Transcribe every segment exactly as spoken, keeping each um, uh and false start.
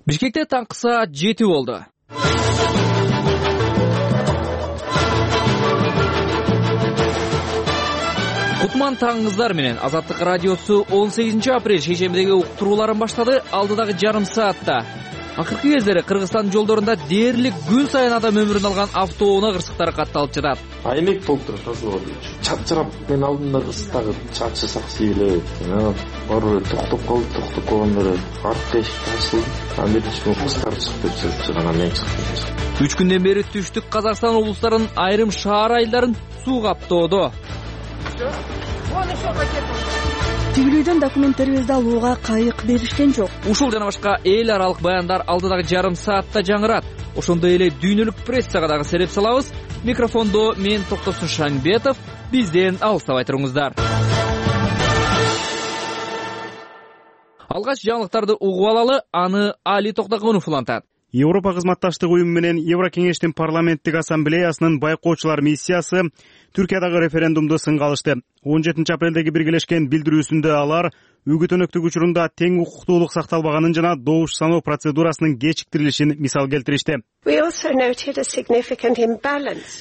Бишкекте таңкы саат жети болду. Кутман таңыңыздар менен Азаттык радиосу он сегизинчи апрель шейшембидеги уктурууларын баштады. Алдыдагы жарым саатта акыркы кездери Кыргызстан жолдорунда дээрлик күн сайын адам өмүрүн алган автоунаа кырсыктары катталып жатат. Аймек болуп турат азыр. Чапчырап мен алдымдагы кырсыктагы чачырсак сейилебейт. Баары токтоп калды, токтоп калгандары артка эшик ачылды. Анан кырсыктар чыгып кетти, анан мен чыктым. Үч күндөн бери түштүк Казакстан облустарынын айрым шаар айылдарын суу каптоодо. Тигилүүдөн документтерибизди алууга кайык беришкен жок. Ушул жана башка эл аралык баяндар алдыдагы жарым саатта жаңырат. Ошондой эле дүйнөлүк прессага дагы сереп салабыз. Микрофондо мен Токтосун Шаңбетов. Бизден алыстабай туруңуздар. Алгач жаңылыктарды угуп алалы, аны Али Токтогонов улантат. Европа кызматташтык уюму менен Еврокеңештин парламенттик ассамблеясынын байкоочулар миссиясы Түркиядагы референдумду сынга алышты. он жетинчи апрелдеги биргелешкен билдирүүсүндө алар үгүт өнөктүк учурунда тең укуктуулук сакталбаганын жана добуш саноо процедурасынын кечиктирилишин мисал келтиришти.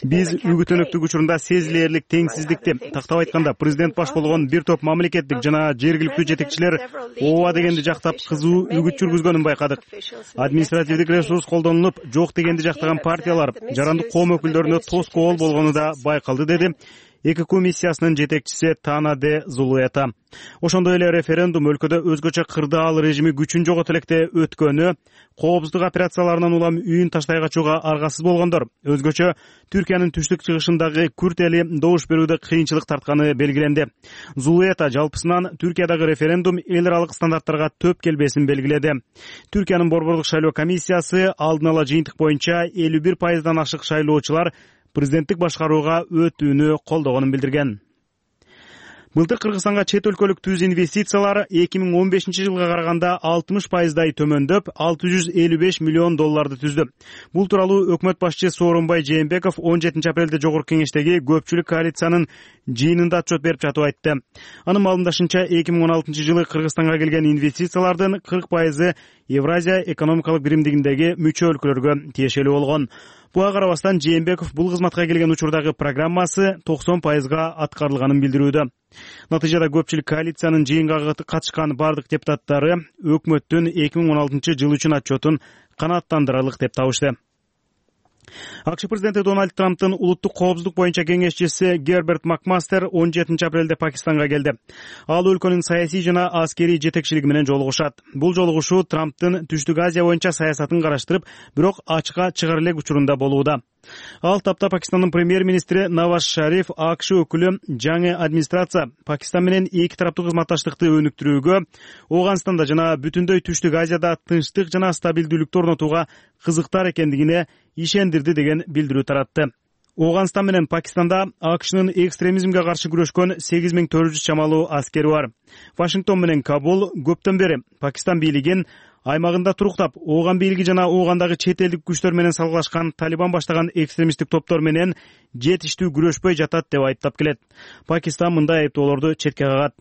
Биз үгүт өнөктүк учурунда сезилээрлик теңсиздикти, тактап айтканда президент баш болгон бир топ мамлекеттик жана жергиликтүү жетекчилер ооба дегенди жактап кызуу үгүт жүргүзгөнүн байкадык. Административдик ресурс колдонулуп, жок дегенди жактаган партиялар, жарандык коом өкүлдөрүнө тоскоол болгону да байкалды, деди ЭКК миссиясынын жетекчиси Тана де Зулуэта. Ошондой эле референдум өлкөдө өзгөчө кырдаал режими күчүн жоготуу электе өткөнү, коопсуздук операцияларынан улам үйүн таштай качууга аргасыз болгондор, өзгөчө Түркиянын түштүк чыгышындагы күрт эли добуш берүүдө кыйынчылык тартканы белгиленди. Зулуэта жалпысынан Түркиядагы референдум эл аралык стандарттарга төп келбесин белгиледи. Түркиянын борбордук шайлоо комиссиясы алдын ала жыйынтык боюнча элүү бир пайыздан ашык шайлоочулар президенттик башкарууга өтүүнү колдогонун билдирген. Былтыр Кыргызстанга чет өлкөлүк түз инвестициялар эки миң он бешинчи жылга караганда алтымыш пайыздай төмөндөп, алты жүз элүү беш миллион долларды түздү. Бул тууралуу өкмөт башчысы Сооронбай Жээнбеков он жетинчи апрелде Жогорку Кеңештеги көпчүлүк коалициянын жыйынында отчет берип жатып айтты. Анын маалымдашынча эки миң он алтынчы жылы Кыргызстанга келген инвестициялардын кырк пайызы Евразия экономикалык биримдигиндеги мүчө өлкөлөргө тиешелүү болгон. Буга карабастан Жээнбеков бул кызматка келген учурдагы программасы токсон пайызга аткарылганын билдирүүдө. Натыйжада көпчүлүк коалициянын жыйынга катышкан бардык депутаттары өкмөттүн эки миң он алтынчы жыл үчүн отчетун канааттандырарлык деп табышты. АКШ президенти Дональд Трамптын улуттук коопсуздук боюнча кеңешчиси Герберт Макмастер он жетинчи апрелде Пакистанга келди. Ал өлкөнүн саясий жана аскерий жетекчилиги менен жолугушат. Бул жолугушуу Трамптын Түштүк Азия боюнча саясатын караштырып, бирок ачыкка чыгар элек учурунда болууда. Ал тапта Пакистандын премьер-министри Наваз Шариф АКШ өкүлү жаңы администрация Пакистан менен эки тараптуу кызматташтыкты өнүктүрүүгө, Ооганстанда жана бүтүндөй Түштүк Азияда тынчтык жана стабилдүүлүктү орнотууга кызыктар экендигине ишендирди деген билдирүү таратты. Ооганстан менен Пакистанда АКШнын экстремизмге каршы күрөшкөн сегиз миң төрт жүз чамалуу аскери бар. Вашингтон менен Кабул көптөн бери Пакистан бийлигин аймагында туруктап, Ооган бийлиги жана Оогандагы чет элдик күчтөр менен салгылашкан Талибан баштаган экстремисттик топтор менен жетиштүү күрөшпөй жатат деп айыптап келет. Пакистан мындай айыптоолорду четке кагат.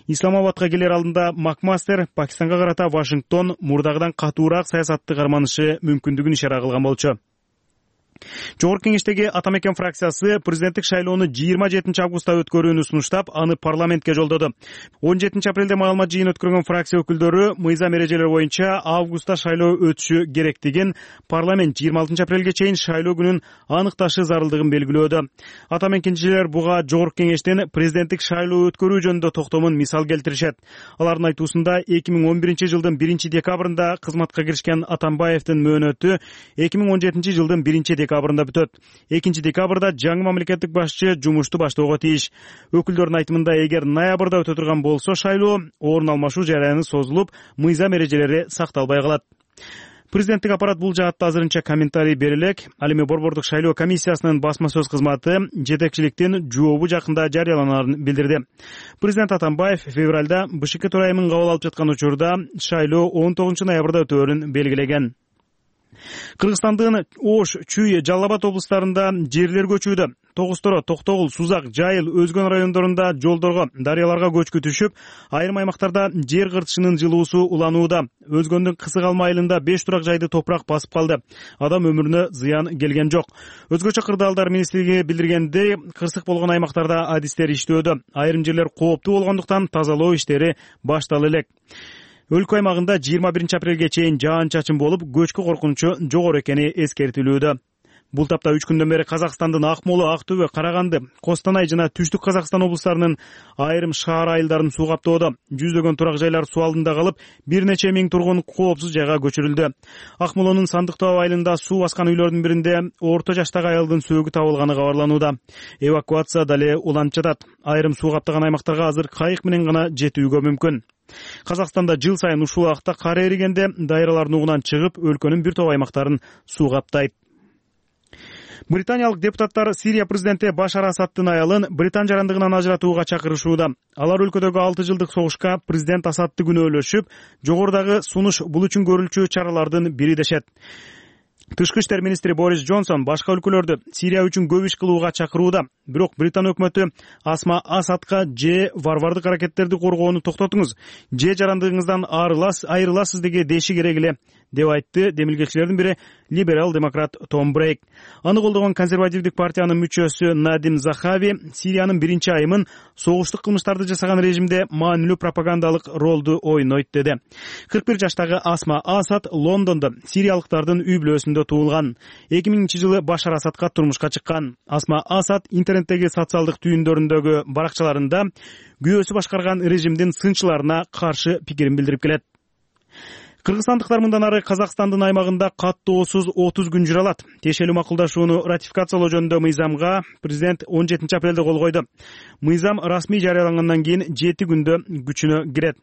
Исламабадка келер алдында Макмастер Пакистанга карата Вашингтон мурдагыдан катуураак саясатты карманышы мүмкүндүгүн ишара кылган болчу. Жогорку Кеңештеги Ата Мекен фракциясы президенттик шайлоону жыйырма жетинчи августта өткөрүүнү сунуштап, аны парламентке жолдоду. он жетинчи апрелде маалымат жыйын өткөргөн фракция өкүлдөрү мыйзам эрежелери боюнча августта шайлоо өтүшү керектигин, парламент жыйырма алтынчы апрелге чейин шайлоо күнүн аныкташы зарылдыгын белгилөөдө. Ата Мекенчилер буга Жогорку Кеңештин президенттик шайлоо өткөрүү жөнүндө токтомун мисал келтиришет. Алардын айтуусунда эки миң он биринчи жылдын биринчи декабрында кызматка киришкен Атамбаевдин мөөнөтү эки миң он жетинчи жылдын биринчи декабрында бүтөт. экинчи декабрда жаңы мамлекеттик башчы жумушту баштоого тийиш. Өкүлдөрдүн айтымында, эгер ноябрда өтө турган болсо шайлоо, орун алмашуу жараяны созулуп, мыйзам эрежелери сакталбай калат. Президенттик аппарат бул жаатта азырынча комментарий бере элек. Ал эми борбордук шайлоо комиссиясынын басма сөз кызматы жетекчиликтин жообу жакында жарыяланарын билдирди. Президент Атамбаев февралда БШК төрайымын кабыл алып жаткан учурда шайлоо он тогузунчу ноябрда өтөөрүн белгилеген. Кыргызстандын Ош, Чүй, Жалал Абад облустарында жерлер көчүүдө. Тогусторо, Токтогул, Сузак, Жайыл, Өзгөн райондорунда жолдорго, дарыяларга көчкү түшүп, айрым аймактарда жер кыртышынын жылуусу уланууда. Өзгөндүн Кысык Алма айылында беш турак жайды топурак басып калды. Адам өмүрүнө зыян келген жок. Өзгөчө кырдаалдар министрлиги билдиргендей, кырсык болгон аймактарда адистер иштөөдө. Айрым жерлер кооптуу болгондуктан тазалоо иштери башталып элек. Өлкө аймагында жыйырма биринчи апрелге чейин жаан-чачын болуп, көчкү коркунучу жогору экени эскертилүүдө. Бул тапта үч күндөн бери Казакстандын Акмола, Актөбө, Караганды, Костанай жана Түштүк Казакстан облустарынын айрым шаар айылдарын суу каптоодо. Жүздөгөн турак жайлар суу алдында калып, бир нече миң тургун коопсуз жайга көчүрүлдү. Акмолонун Сандыктоо айылында суу баскан үйлөрдүн биринде орто жаштагы аялдын сөөгү табылганы кабарланууда. Эвакуация дале уланып жатат. Айрым суу каптаган аймактарга азыр кайык менен гана жетүүгө мүмкүн. Казакстанда жыл сайын ушул убакта кар эригенде дайралар нугунан чыгып, өлкөнүн бир топ аймактарын суу каптайт. Британиялык депутаттар Сирия президенти Башар Асаддын аялын Британ жарандыгынан ажыратууга чакырышууда. Алар өлкөдөгү алты жылдык согушка президент Асадды күнөөлөшүп, жогорудагы сунуш бул үчүн көрүлчү чаралардын бири дешет. Тышкы иштер министри Борис Джонсон башка өлкөлөрдү Сирия үчүн көп иш кылууга чакырууда. Бирок Британ өкмөтү Асма Асадка же варвардык аракеттерди коргоону токтотуңуз, же жарандыгыңыздан айрыласыз деге деши керек эле, деп айтты демилгечилердин бири либерал демократ Том Брейк. Аны колдогон консервативдик партиянын мүчөсү Надим Захави Сириянын биринчи айымын согуштук кылмыштарды жасаган режимде маанилүү пропагандалык ролду ойнойт деди. кырк бир жаштагы Асма Асад Лондондо сириялыктардын үй бүлөсүндө туулган. эки миңинчи жылы Башар Асадка турмушка чыккан. Асма Асад интернеттеги социалдык түйүндөрүндөгү баракчаларында күйөөсү башкарган режимдин сынчыларына каршы пикирин билдирип келет. Кыргызстандыктар мындан ары Казакстандын аймагында каттоосуз отуз күн жүрө алат. Тиешелүү макулдашууну ратификациялоо жөнүндө мыйзамга президент он жетинчи апрелде кол койду. Мыйзам расмий жарыялангандан кийин жети күндө күчүнө кирет.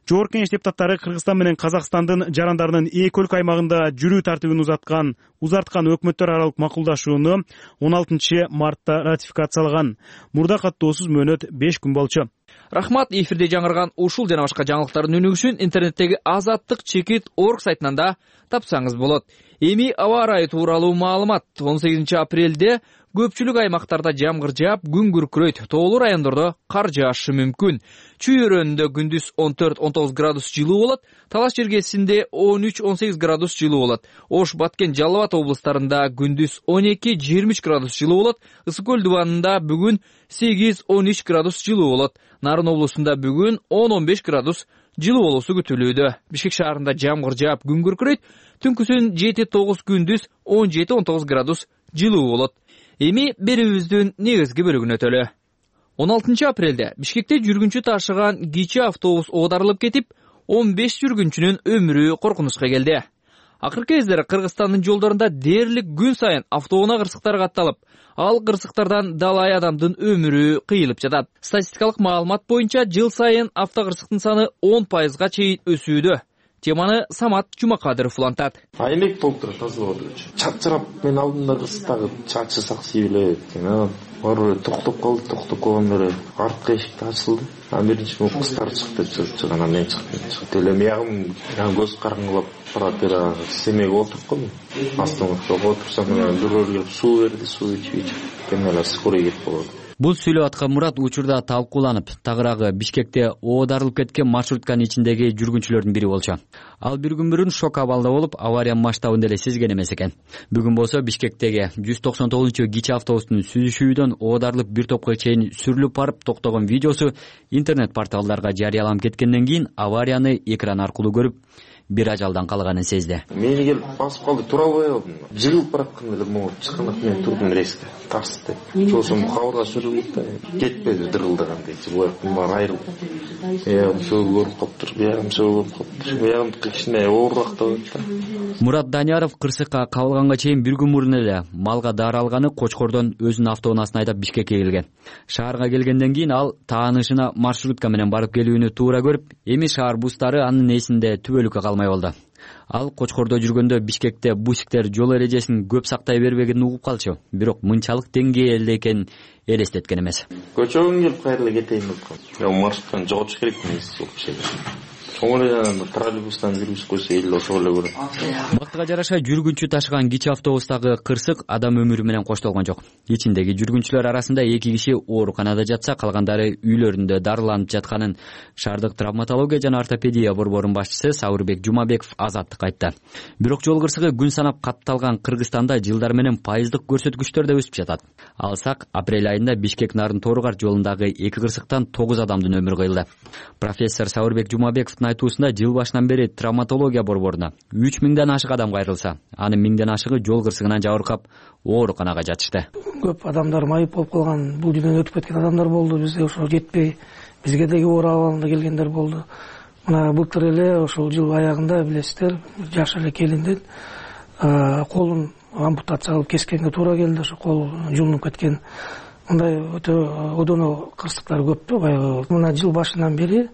Жогорку Кеңеш депутаттары Кыргызстан менен Казакстандын жарандарынын эки өлкө аймагында жүрүү тартибин узаткан, узарткан өкмөттөр аралык макулдашууну он алтынчы мартта ратификациялаган. Мурда каттоосуз мөөнөт беш күн болчу. Рахмат, эфирде жаңырган ушул жана башка жаңылыктардын өнүгүшүн интернеттеги азаттык чекит орг сайтынан да тапсаңыз болот. Эми аба ырайы тууралуу маалымат. он сегизинчи апрелде көпчүлүк аймактарда жамгыр жаап, күн күркүрөйт. Тоолуу райондордо кар жаашы мүмкүн. Чүй өрөөнүндө күндүз он төрт он тогуз градус жылуу болот. Талаш жергесинде он үч он сегиз градус жылуу болот. Ош, Баткен, Жалал Абад облустарында күндүз он эки жыйырма үч градус жылуу болот. Ысык көл дубанында бүгүн сегиз он үч градус жылуу болот. Нарын облусунда бүгүн он он беш градус жылуу болуусу күтүлүүдө. Бишкек шаарында жамгыр жаап, күн күркүрөйт. Түнкүсүн жети тогуз, күндүз он жети он тогуз градус жылуу болот. Эми берүүбүздүн негизги бөлүгүнө өтөлү. он алтынчы апрелде Бишкекте жүргүнчү ташыган кичи автобус оодарылып кетип, он беш жүргүнчүнүн өмүрү коркунучка келди. Акыркы кездери Кыргызстандын жолдорунда дээрлик күн сайын автоунаа кырсыктар катталып, ал кырсыктардан далай адамдын өмүрү кыйылып жатат. Статистикалык маалымат боюнча жыл сайын автокырсыктын саны он пайызга чейин өсүүдө. Теманы Самат Жумакадыров улантат. Айнек болуп турат тазалоодо. Чачырап мен алдымда кыстагы чачы саксый элек. Баары токтоп калды, токтоп калганда артка эшик ачылды. А биринчи муну кыздар чыгып кетти, чыгана мен чыгып кеттим. Эле ягым, көз караңгылап барат эле семейге отуруп калдым. Астымда отурсам, бирөөлөр келип суу берди, суу ичип ичип, мен эле скорый кетип калдым. Бул сүйлөп аткан Мурат учурда талкууланып, тагыраагы Бишкекте оодарылып кеткен маршрутканын ичиндеги жүргүнчүлөрдүн бири болчу. Ал бир күн мурун шок абалда болуп, авариянын масштабын деле сезген эмес экен. Бүгүн болсо Бишкектеги жүз токсон тогузунчу кичи автобустун сүзүшүүдөн оодарылып бир топко чейин сүрүлүп барып токтогон видеосу интернет порталдарга жарыяланып кеткенден кийин аварияны экран аркылуу көрүп, бир ажалдан калганын сезди. Мени келип басып калды, тура албай калдым. Жыгылып бараткан эле могу чыккандык менен турдум резко, тарс деп. Сосын кабырга сүрүлүп да кетпеди дырылдагандай, жылыктын баары айрылды. Эм сөөгү көрүп калыптыр, биягым сөөгү көрүп калыптыр. Биягым кичине оорураак да болот да. Мурат Данияров кырсыкка кабылганга чейин бир күн мурун эле малга дары алганы Кочкордон өзүнүн автоунаасын айдап Бишкекке келген. Шаарга келгенден кийин ал таанышына маршрутка менен барып келүүнү туура көрүп, эми шаар бустары анын эсинде түбөлүккө калмай болду. Ал Кочкордо жүргөндө Бишкекте бусиктер жол эрежесин көп сактай бербегенин угуп калчу, бирок мынчалык деңгээлде экенин элестеткен эмес. Көчөгөн келип кайра эле кетейин деп калдым. Маршруттан жоготуш керек эмес ушул киши. чоң эле жанагы троллейбустан жүргүзүп койсо эл ошого эле көрөт. Бактыга жараша жүргүнчү ташыган кичи автобустагы кырсык адам өмүрү менен коштолгон жок. Ичиндеги жүргүнчүлөр арасында эки киши ооруканада жатса, калгандары үйлөрүндө дарыланып жатканын шаардык травматология жана ортопедия борборунун башчысы Сабырбек Жумабеков Азаттыкка айтты. Бирок жол кырсыгы күн санап катталган Кыргызстанда жылдар менен пайыздык көрсөткүчтөр да өсүп жатат. Алсак, апрель айында Бишкек Нарын Тооругар жолундагы эки кырсыктан тогуз адамдын өмүрү кыйылды. Профессор Сабырбек Жумабековдун айтуусунда жыл башынан бери травматология борборуна үч миңден ашык адам кайрылса, анын миңден ашыгы жол кырсыгынан жабыркап ооруканага жатышты. Көп адамдар майып болуп калган, бул дүйнөдөн өтүп кеткен адамдар болду. Бизде ошо жетпей, бизге деги оор абалында келгендер болду. Мына былтыр эле ошол жыл аягында билесиздер, жаш эле келиндин колун ампутация кылып кескенге туура келди. Ошо кол жулунуп кеткен. Мындай өтө одоно кырсыктар көптү. Баягы мына жыл башынан бери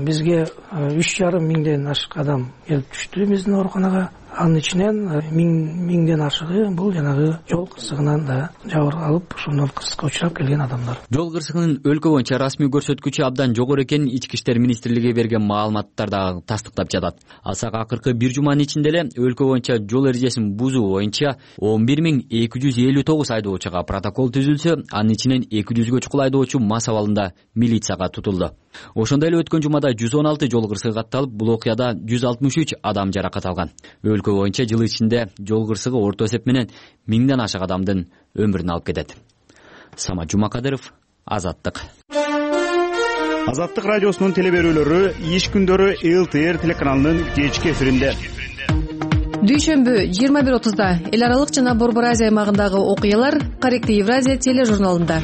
бизге үч жарым миңден ашык адам келип түштү биздин ооруканага. Анын ичинен миңден ашыгы бул жанагы жол кырсыгынан да жабыр алып, ушундан кырсыкка учурап келген адамдар. Жол кырсыгынын өлкө боюнча расмий көрсөткүчү абдан жогору экенин Ички иштер министрлиги берген маалыматтар да тастыктап жатат. Алсак, акыркы бир жуманын ичинде эле өлкө боюнча жол эрежесин бузуу боюнча он бир миң эки жүз элүү тогуз айдоочуга протокол түзүлсө, анын ичинен эки жүзгө чукул айдоочу мас абалында милицияга тутулду. Ошондой эле өткөн жумада жүз он алты жол кырсыгы катталып, бул окуяда жүз алтымыш үч адам жаракат алган. Өлкө боюнча жыл ичинде жол кырсыгы орто эсеп менен миңден ашык адамдын өмүрүн алып кетет. Самат Жумакадыров, Азаттык. Азаттык радиосунун телеберүүлөрү иш күндөрү эл ти эр телеканалынын кечки эфиринде. Дүйшөмбү жыйырма бир отузда эл аралык жана Борбор Азия аймагындагы окуялар Корректив Евразия тележурналында.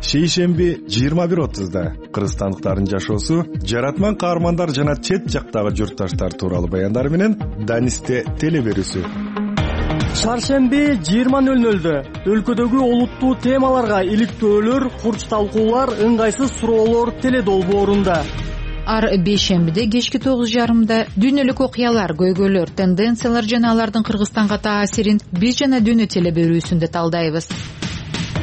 Шейшемби жыйырма бир отузда кыргызстандыктардын жашоосу, жаратман каармандар жана чет жактагы журтташтар тууралуу баяндар менен Данисте телеберүүсү. Шаршемби жыйырма нөл нөлдө өлкөдөгү олуттуу темаларга иликтөөлөр, курч талкуулар, ыңгайсыз суроолор теледолбоорунда. Ар бейшембиде кечки тогуз жарымда дүйнөлүк окуялар, көйгөйлөр, тенденциялар жана алардын Кыргызстанга таасирин биз жана дүйнө телеберүүсүндө талдайбыз.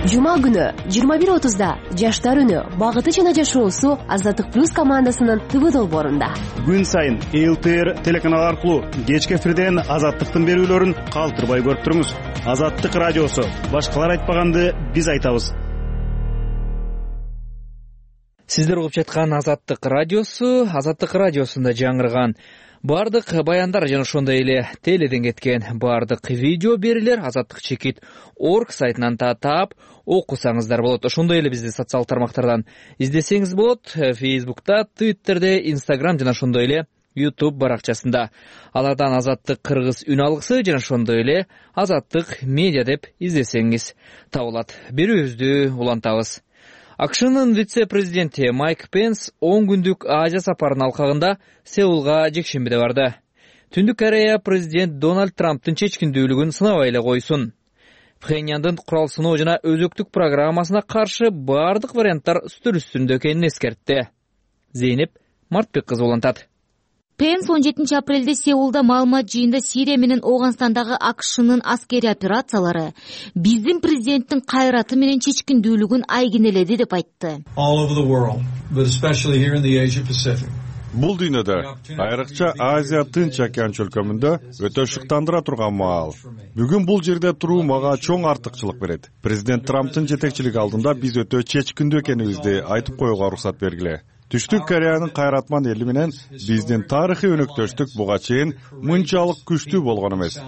Жума күнү жыйырма бир отузда жаштар үнү, багыты жана жашоосу Азаттык плюс командасынын ТВ долбоорунда. Күн сайын эл ти эр телеканалы аркылуу кечки эфирден Азаттыктын берүүлөрүн калтырбай көрүп туруңуз. Азаттык радиосу, башкалар айтпаганды биз айтабыз. Сиздер угуп жаткан Азаттык радиосу, Азаттык радиосунда жаңырган бардык баяндар жана ошондой эле теледен кеткен бардык видео берүүлөр азаттык чекит точка орг сайтынан таап окусаңыздар болот. Ошондой эле бизди социалдык тармактардан издесеңиз болот. Фейсбукта, Твиттерде, Инстаграм жана ошондой эле Ютуб баракчасында. Алардан Азаттык кыргыз үн алгысы жана ошондой эле Азаттык медиа деп издесеңиз табылат. Берүүбүздү улантабыз. АКШнын вице-президенти Майк Пенс он күндүк Азия сапарынын алкагында Сеулга жекшембиде барды. Түндүк Корея президент Дональд Трамптын чечкиндүүлүгүн сынабай эле койсун. Пхеньяндын курал сыноо жана өзөктүк программасына каршы бардык варианттар үстүл үстүндө экенин эскертти. Зейнеп Мартбек кызы улантат. Пенс он жетинчи апрелде Сеулда маалымат жыйында Сирия менен Ооганстандагы АКШнын аскери операциялары биздин президенттин кайраты менен чечкиндүүлүгүн айгинеледи деп айтты. Бул дүйнөдө, айрыкча Азия Тынч океан чөлкөмүндө өтө шыктандыра турган маал. Бүгүн бул жерде туруу мага чоң артыкчылык берет. Президент Трамптын жетекчилиги алдында биз өтө чечкиндүү экенибизди айтып коюуга уруксат бергиле. Түштүк Кореянын кайратман эли менен биздин тарыхый өнөктөштүк буга чейин мынчалык күчтүү болгон эмес.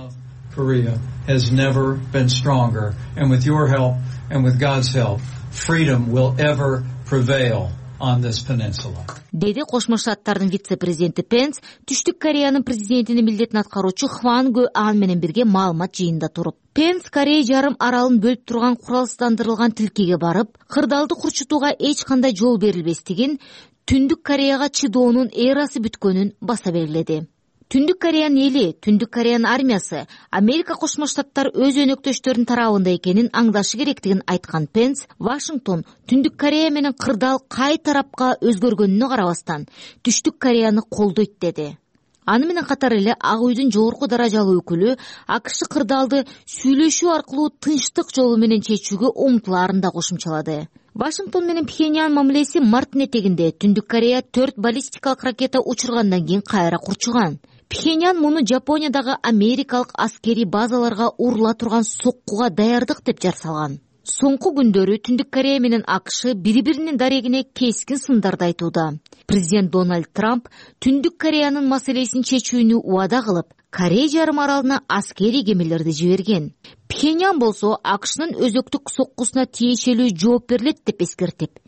Korea has never been stronger, and with your help and with God's help, freedom will ever prevail on this peninsula. Деди Кошмо Штаттардын вице-президенти Пенс Түштүк Кореянын президентинин милдетин аткаруучу Хван Гэ Ан менен бирге маалымат жыйында туруп, Пенс Корея жарым аралын бөлүп турган куралсыздандырылган тилкеге барып, кырдаалды курчутууга эч кандай жол берилбестигин, Түндүк Кореяга чыдоонун эрасы бүткөнүн баса белгиледи. Түндүк Кореянын эли, Түндүк Кореянын армиясы Америка Кошмо Штаттар өз өнөктөштөрүнүн тарабында экенин аңдашы керектигин айткан Пенс, Вашингтон Түндүк Корея менен кырдаал кай тарапка өзгөргөнүнө карабастан Түштүк Кореяны колдойт деди. Аны менен катар эле Ак үйдүн жогорку даражалуу өкүлү АКШ кырдаалды сүйлөшүү аркылуу тынчтык жолу менен чечүүгө умтулаарын да кошумчалады. Вашингтон менен Пхеньян мамилеси марттын этегинде Түндүк Корея төрт баллистикалык ракета учургандан кийин кайра курчуган. Пхеньян муну Жапониядагы америкалык аскерий базаларга урула турган соккуга даярдык деп жар салган. Соңку күндөрү Түндүк Корея менен АКШ бири-биринин дарегине кескин сындарды айтууда. Президент Дональд Трамп Түндүк Кореянын маселесин чечүүнү убада кылып, Корея жарым аралына аскерий кемелерди жиберген. Пхеньян болсо АКШнын өзөктүк соккусуна тиешелүү жооп берилет деп эскертип,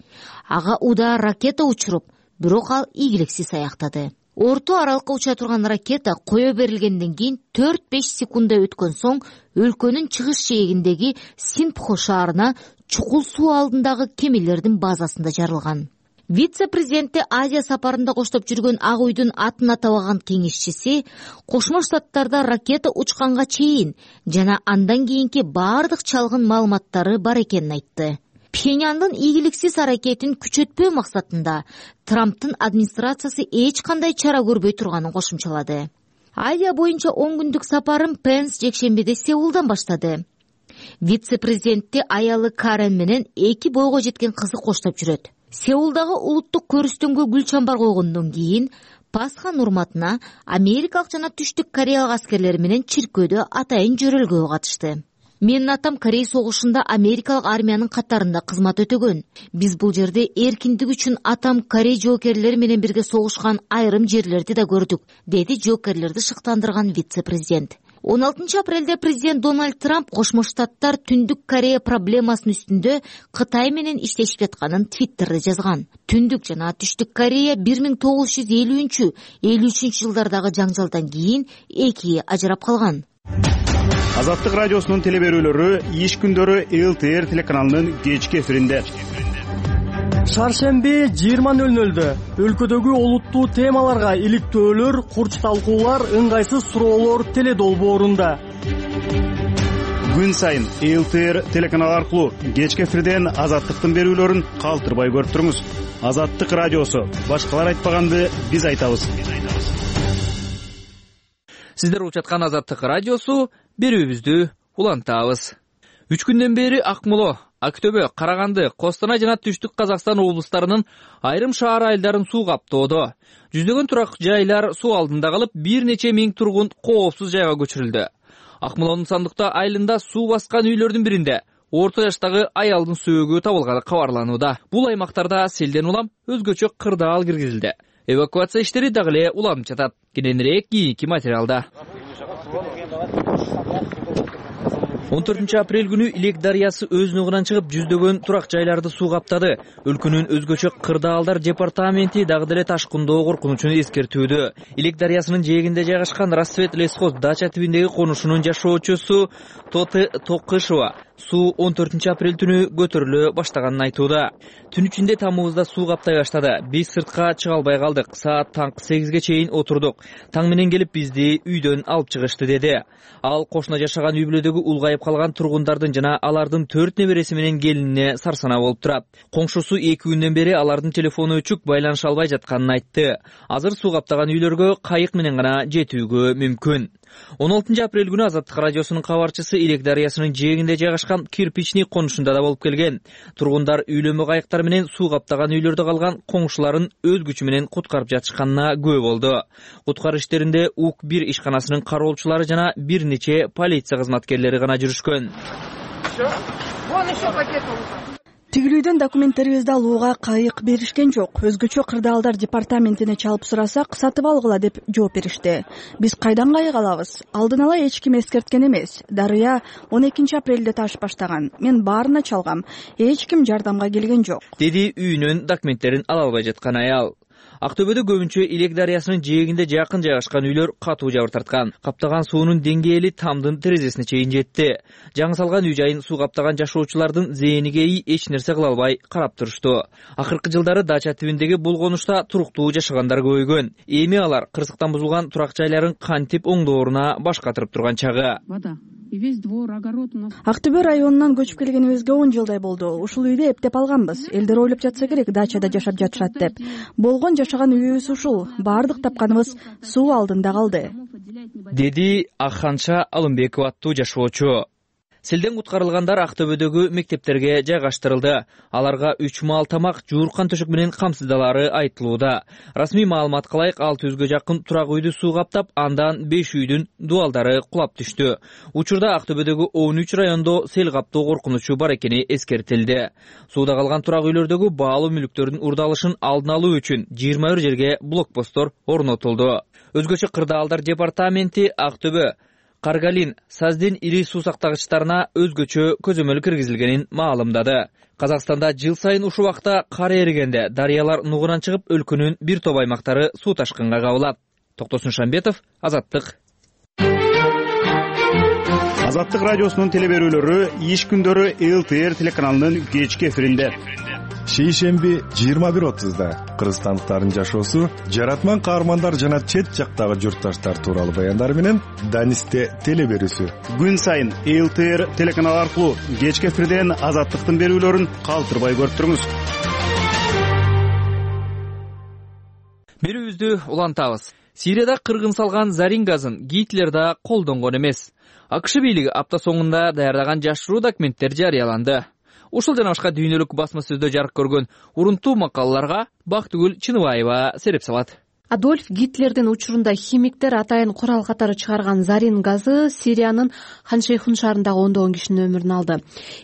ага удаа ракета учуруп, бирок ал ийгиликсиз аяктады. Орто аралыкка уча турган ракета кое берилгенден кийин төрт-беш секунда өткөн соң өлкөнүн чыгыш жээгиндеги Синпхо шаарына чукул суу алдындагы кемелердин базасында жарылган. Вице-президенти Азия сапарында коштоп жүргөн Ак үйдүн атын атабаган кеңешчиси Кошмо Штаттарда ракета учканга чейин жана андан кийинки бардык чалгын маалыматтары бар экенин айтты. Пхеньяндын ийгиликсиз аракетин күчөтпөө максатында Трамптын администрациясы эч кандай чара көрбөй турганын кошумчалады. Азия боюнча он күндүк сапарын Пенс жекшембиде Сеулдан баштады. Вице-президентти аялы Карен менен эки бойго жеткен кызы коштоп жүрөт. Сеулдагы улуттук көрүстөнгө гүл чамбар койгондон кийин Пасхан урматына америкалык жана Түштүк Кореялык аскерлер менен чиркөөдө атайын жөрөлгөгө катышты. Менин атам Корей согушунда америкалык армиянын катарында кызмат өтөгөн. Биз бул жерде эркиндик үчүн атам Корей жоокерлери менен бирге согушкан айрым жерлерди да көрдүк, деди жоокерлерди шыктандырган вице-президент. он алтынчы апрелде президент Дональд Трамп Кошмо Штаттар Түндүк Корея проблемасынын үстүндө Кытай менен иштешип жатканын Твиттерде жазган. Түндүк жана Түштүк Корея бир миң тогуз жүз элүүнчү элүү үчүнчү жылдардагы жаңжалдан кийин экиге ажырап калган. Азаттык радиосунун теле берүүлөрү иш күндөрү эл тэ эр телеканалынын кечки эфиринде. Шаршемби жыйырма нөл нөлдө өлкөдөгү олуттуу темаларга иликтөөлөр, курч талкуулар, ыңгайсыз суроолор теле долбоорунда. Күн сайын эл тэ эр телеканалы аркылуу кечки эфирден Азаттыктын берүүлөрүн калтырбай көрүп туруңуз. Азаттык радиосу, башкалар айтпаганды биз айтабыз. Сиздер угуп жаткан Азаттык радиосу, берүүбүздү улантабыз. Үч күндөн бери Акмола, Актөбө, Караганды, Костанай жана Түштүк Казакстан облустарынын айрым шаар айылдарын суу каптоодо. Жүздөгөн турак жайлар суу алдында калып, бир нече миң тургун коопсуз жайга көчүрүлдү. Акмоланын Сандыкта айылында суу баскан үйлөрдүн биринде орто жаштагы аялдын сөөгү табылганы кабарланууда. Бул аймактарда селден улам өзгөчө кырдаал киргизилди. Эвакуация иштери дагы эле уланып жатат. Кененирээк кийинки материалда. он төртүнчү апрель күнү Илек дарыясы өз нугунан чыгып, жүздөгөн турак жайларды суу каптады. Өлкөнүн өзгөчө кырдаалдар департаменти дагы деле ташкындоо коркунучун эскертүүдө. Илек дарыясынын жээгинде жайгашкан Рассвет лесхоз дача тибиндеги конушунун жашоочусу Тоты Токышева суу он төртүнчү апрель түнү көтөрүлө баштаганын айтууда. Түн ичинде тамыбызда суу каптай баштады. Биз сыртка чыга албай калдык. Саат таңкы сегизге чейин отурдук. Таң менен келип бизди үйдөн алып чыгышты, деди. Ал кошуна жашаган үй бүлөдөгү улгайып калган тургундардын жана алардын төрт небереси менен келинине сарсанаа болуп турат. Коңшусу эки күндөн бери алардын телефону өчүк, байланыша албай жатканын айтты. Азыр суу каптаган үйлөргө кайык менен гана жетүүгө мүмкүн. он алтынчы апрель күнү Азаттык радиосунун кабарчысы Илек дарыясынын жээгинде жайгашкан Кирпичный конушунда да болуп келген. Тургундар үйлөнмө кайыктар менен суу каптаган үйлөрдө калган коңшуларын өз күчү менен куткарып жатышканына күбө болду. Куткаруу иштеринде УК бир ишканасынын кароолчулары жана бир нече полиция кызматкерлери гана жүрүшкөн. Тигилүүдөн документтерибизди алууга кайык беришкен жок. Өзгөчө кырдаалдар департаментине чалып сурасак, сатып алгыла деп жооп беришти. Биз кайдан кайык алабыз? Алдын ала эч ким эскерткен эмес. Дарыя он экинчи апрелде ташып баштаган. Мен баарына чалгам. Эч ким жардамга келген жок, деди үйүнүн документтерин ала албай жаткан аял. Актөбөдө көбүнчө Илек дарыясынын жээгинде жакын жайгашкан үйлөр катуу жабыр тарткан. Каптаган суунун деңгээли тамдын терезесине чейин жетти. Жаңы салган үй жайын суу каптаган жашоочулардын зээниге эч нерсе кыла албай карап турушту. Акыркы жылдары дача тибиндеги бул конушта туруктуу жашагандар көбөйгөн. Эми алар кырсыктан бузулган турак жайларын кантип оңдооруна баш катырып турган чагы. Актөбө районунан көчүп келгенибизге он жылдай болду. Ушул үйдү эптеп алганбыз. Элдер ойлоп жатса керек, дачада жашап жатышат деп. Болгон жашаган үйүбүз ушул. Бардык тапканыбыз суу алдында калды, деди Аханша Алымбекова аттуу жашоочу. Селден куткарылгандар Актөбөдөгү мектептерге жайгаштырылды. Аларга үч маал тамак, жууркан төшөк менен камсыздалары айтылууда. Расмий маалыматка ылайык алты жүзгө жакын турак үйдү суу каптап, андан беш үйдүн дубалдары кулап түштү. Учурда Актөбөдөгү он үч райондо сел каптоо коркунучу бар экени эскертилди. Сууда калган турак үйлөрдөгү баалуу мүлктөрдүн урдалышын алдын алуу үчүн жыйырма бир жерге блокпосттор орнотулду. Өзгөчө Кырдаалдар департаменти Актөбө, Каргалин, Саздин ири суу сактагычтарына өзгөчө көзөмөл киргизилгенин маалымдады. Казакстанда жыл сайын ушул убакта кар эригенде дарыялар нугунан чыгып, өлкөнүн бир топ аймактары суу ташкынга кабылат. Токтосун Шамбетов, Азаттык. Азаттык радиосунун телеберүүлөрү иш күндөрү эл тэ эр телеканалынын кечки эфиринде. Шейшемби жыйырма бир отузда кыргызстандыктардын жашоосу, жаратман каармандар жана чет жактагы журтташтар тууралуу баяндар менен Данисте телеберүүсү. Күн сайын эл тэ эр телеканалы аркылуу кечки эфирден Азаттыктын берүүлөрүн калтырбай көрүп туруңуз. Берүүбүздү улантабыз. Сирияда кыргын салган зарин газын Гитлер да колдонгон эмес. АКШ бийлиги апта соңунда даярдаган жашыруу документтер жарыяланды. Ушул жана башка дүйнөлүк басма сөздө жарык көргөн урунтуу макалаларга Бактыгүл Чыныбаева сереп салат. Адольф Гитлердин учурунда химиктер атайын курал катары чыгарган зарин газы Сириянын Хан-Шейхун шаарындагы ондогон кишинин өмүрүн алды.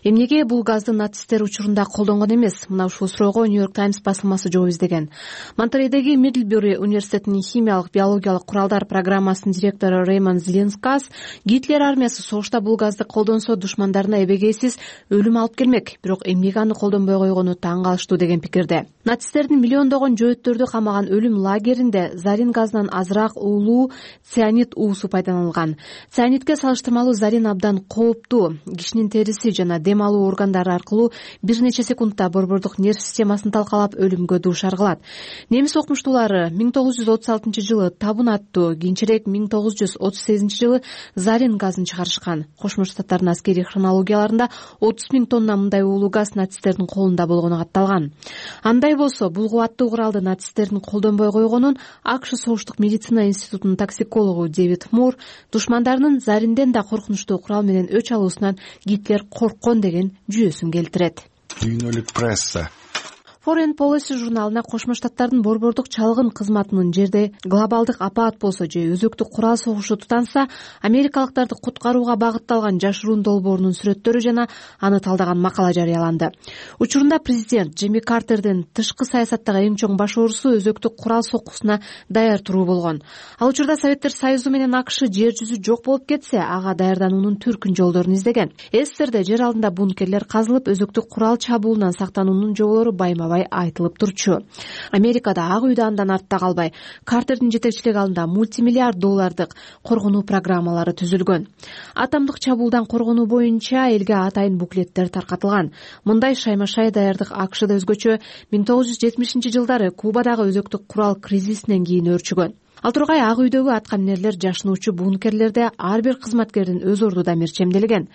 Эмнеге бул газды нацисттер учурунда колдонгон эмес? Мына ушул суроого Нью-Йорк Таймс басылмасы жооп издеген. Монтерейдеги Мидлбюри университетинин химиялык биологиялык куралдар программасынын директору Реймонд Зеленскас Гитлер армиясы согушта бул газды колдонсо душмандарына эбегейсиз өлүм алып келмек, бирок эмнеге аны колдонбой койгону таң калыштуу деген пикирде. Нацисттердин миллиондогон жөөттөрдү камаган өлүм лагеринде зарин газынан азыраак уулуу цианид уусу пайдаланылган. Цианидке салыштырмалуу зарин абдан кооптуу. Кишинин териси жана дем алуу органдары аркылуу бир нече секундта борбордук нерв системасын талкалап өлүмгө дуушар кылат. Немис окумуштуулары миң тогуз жүз отуз алтынчы жылы табун аттуу, кийинчерээк миң тогуз жүз отуз сегизинчи жылы зарин газын чыгарышкан. Кошмо Штаттардын аскерий хронологияларында отуз миң тонна мындай уулуу газ нацисттердин колунда болгону катталган. Андай болсо, бул кубаттуу куралды нацисттердин колдонбой койгонун АКШ Согуштук медицина институтунун токсикологу Дэвид Мур душмандарынын заринден да коркунучтуу курал менен өч алуусунан Гитлер корккон деген жүйөсүн келтирет. Дүйнөлүк пресса. Foreign Policy журналына Кошмо Штаттардын борбордук чалгын кызматынын жерде глобалдык апаат болсо же өзөктүк курал согушу тутанса, америкалыктарды куткарууга багытталган жашыруун долбоорунун сүрөттөрү жана аны талдаган макала жарыяланды. Учурунда президент Джимми Картердин тышкы саясаттагы эң чоң баш оорусу өзөктүк курал соккусуна даяр туруу болгон. Ал учурда Советтер Союзу менен АКШ жер жүзү жок болуп кетсе, ага даярдануунун түркүн жолдорун издеген. СССРде жер алдында бункерлер казылып, өзөктүк курал чабуулунан сактануунун жоболору байма айтылып турчу. Америкада Ак үйдө андан артта калбай, Картердин жетекчилиги алдында мультимиллиард доллардык коргонуу программалары түзүлгөн. Атомдук чабуулдан коргонуу боюнча элге атайын буклеттер таркатылган. Мындай шайма-шай даярдык АКШда өзгөчө миң тогуз жүз жетимишинчи жылдары Кубадагы өзөктүк курал кризисинен кийин өөрчүгөн. Ал тургай Ак үйдөгү аткаминерлер жашынуучу бункерлерде ар бир кызматкердин өз ордуда мерчемделген.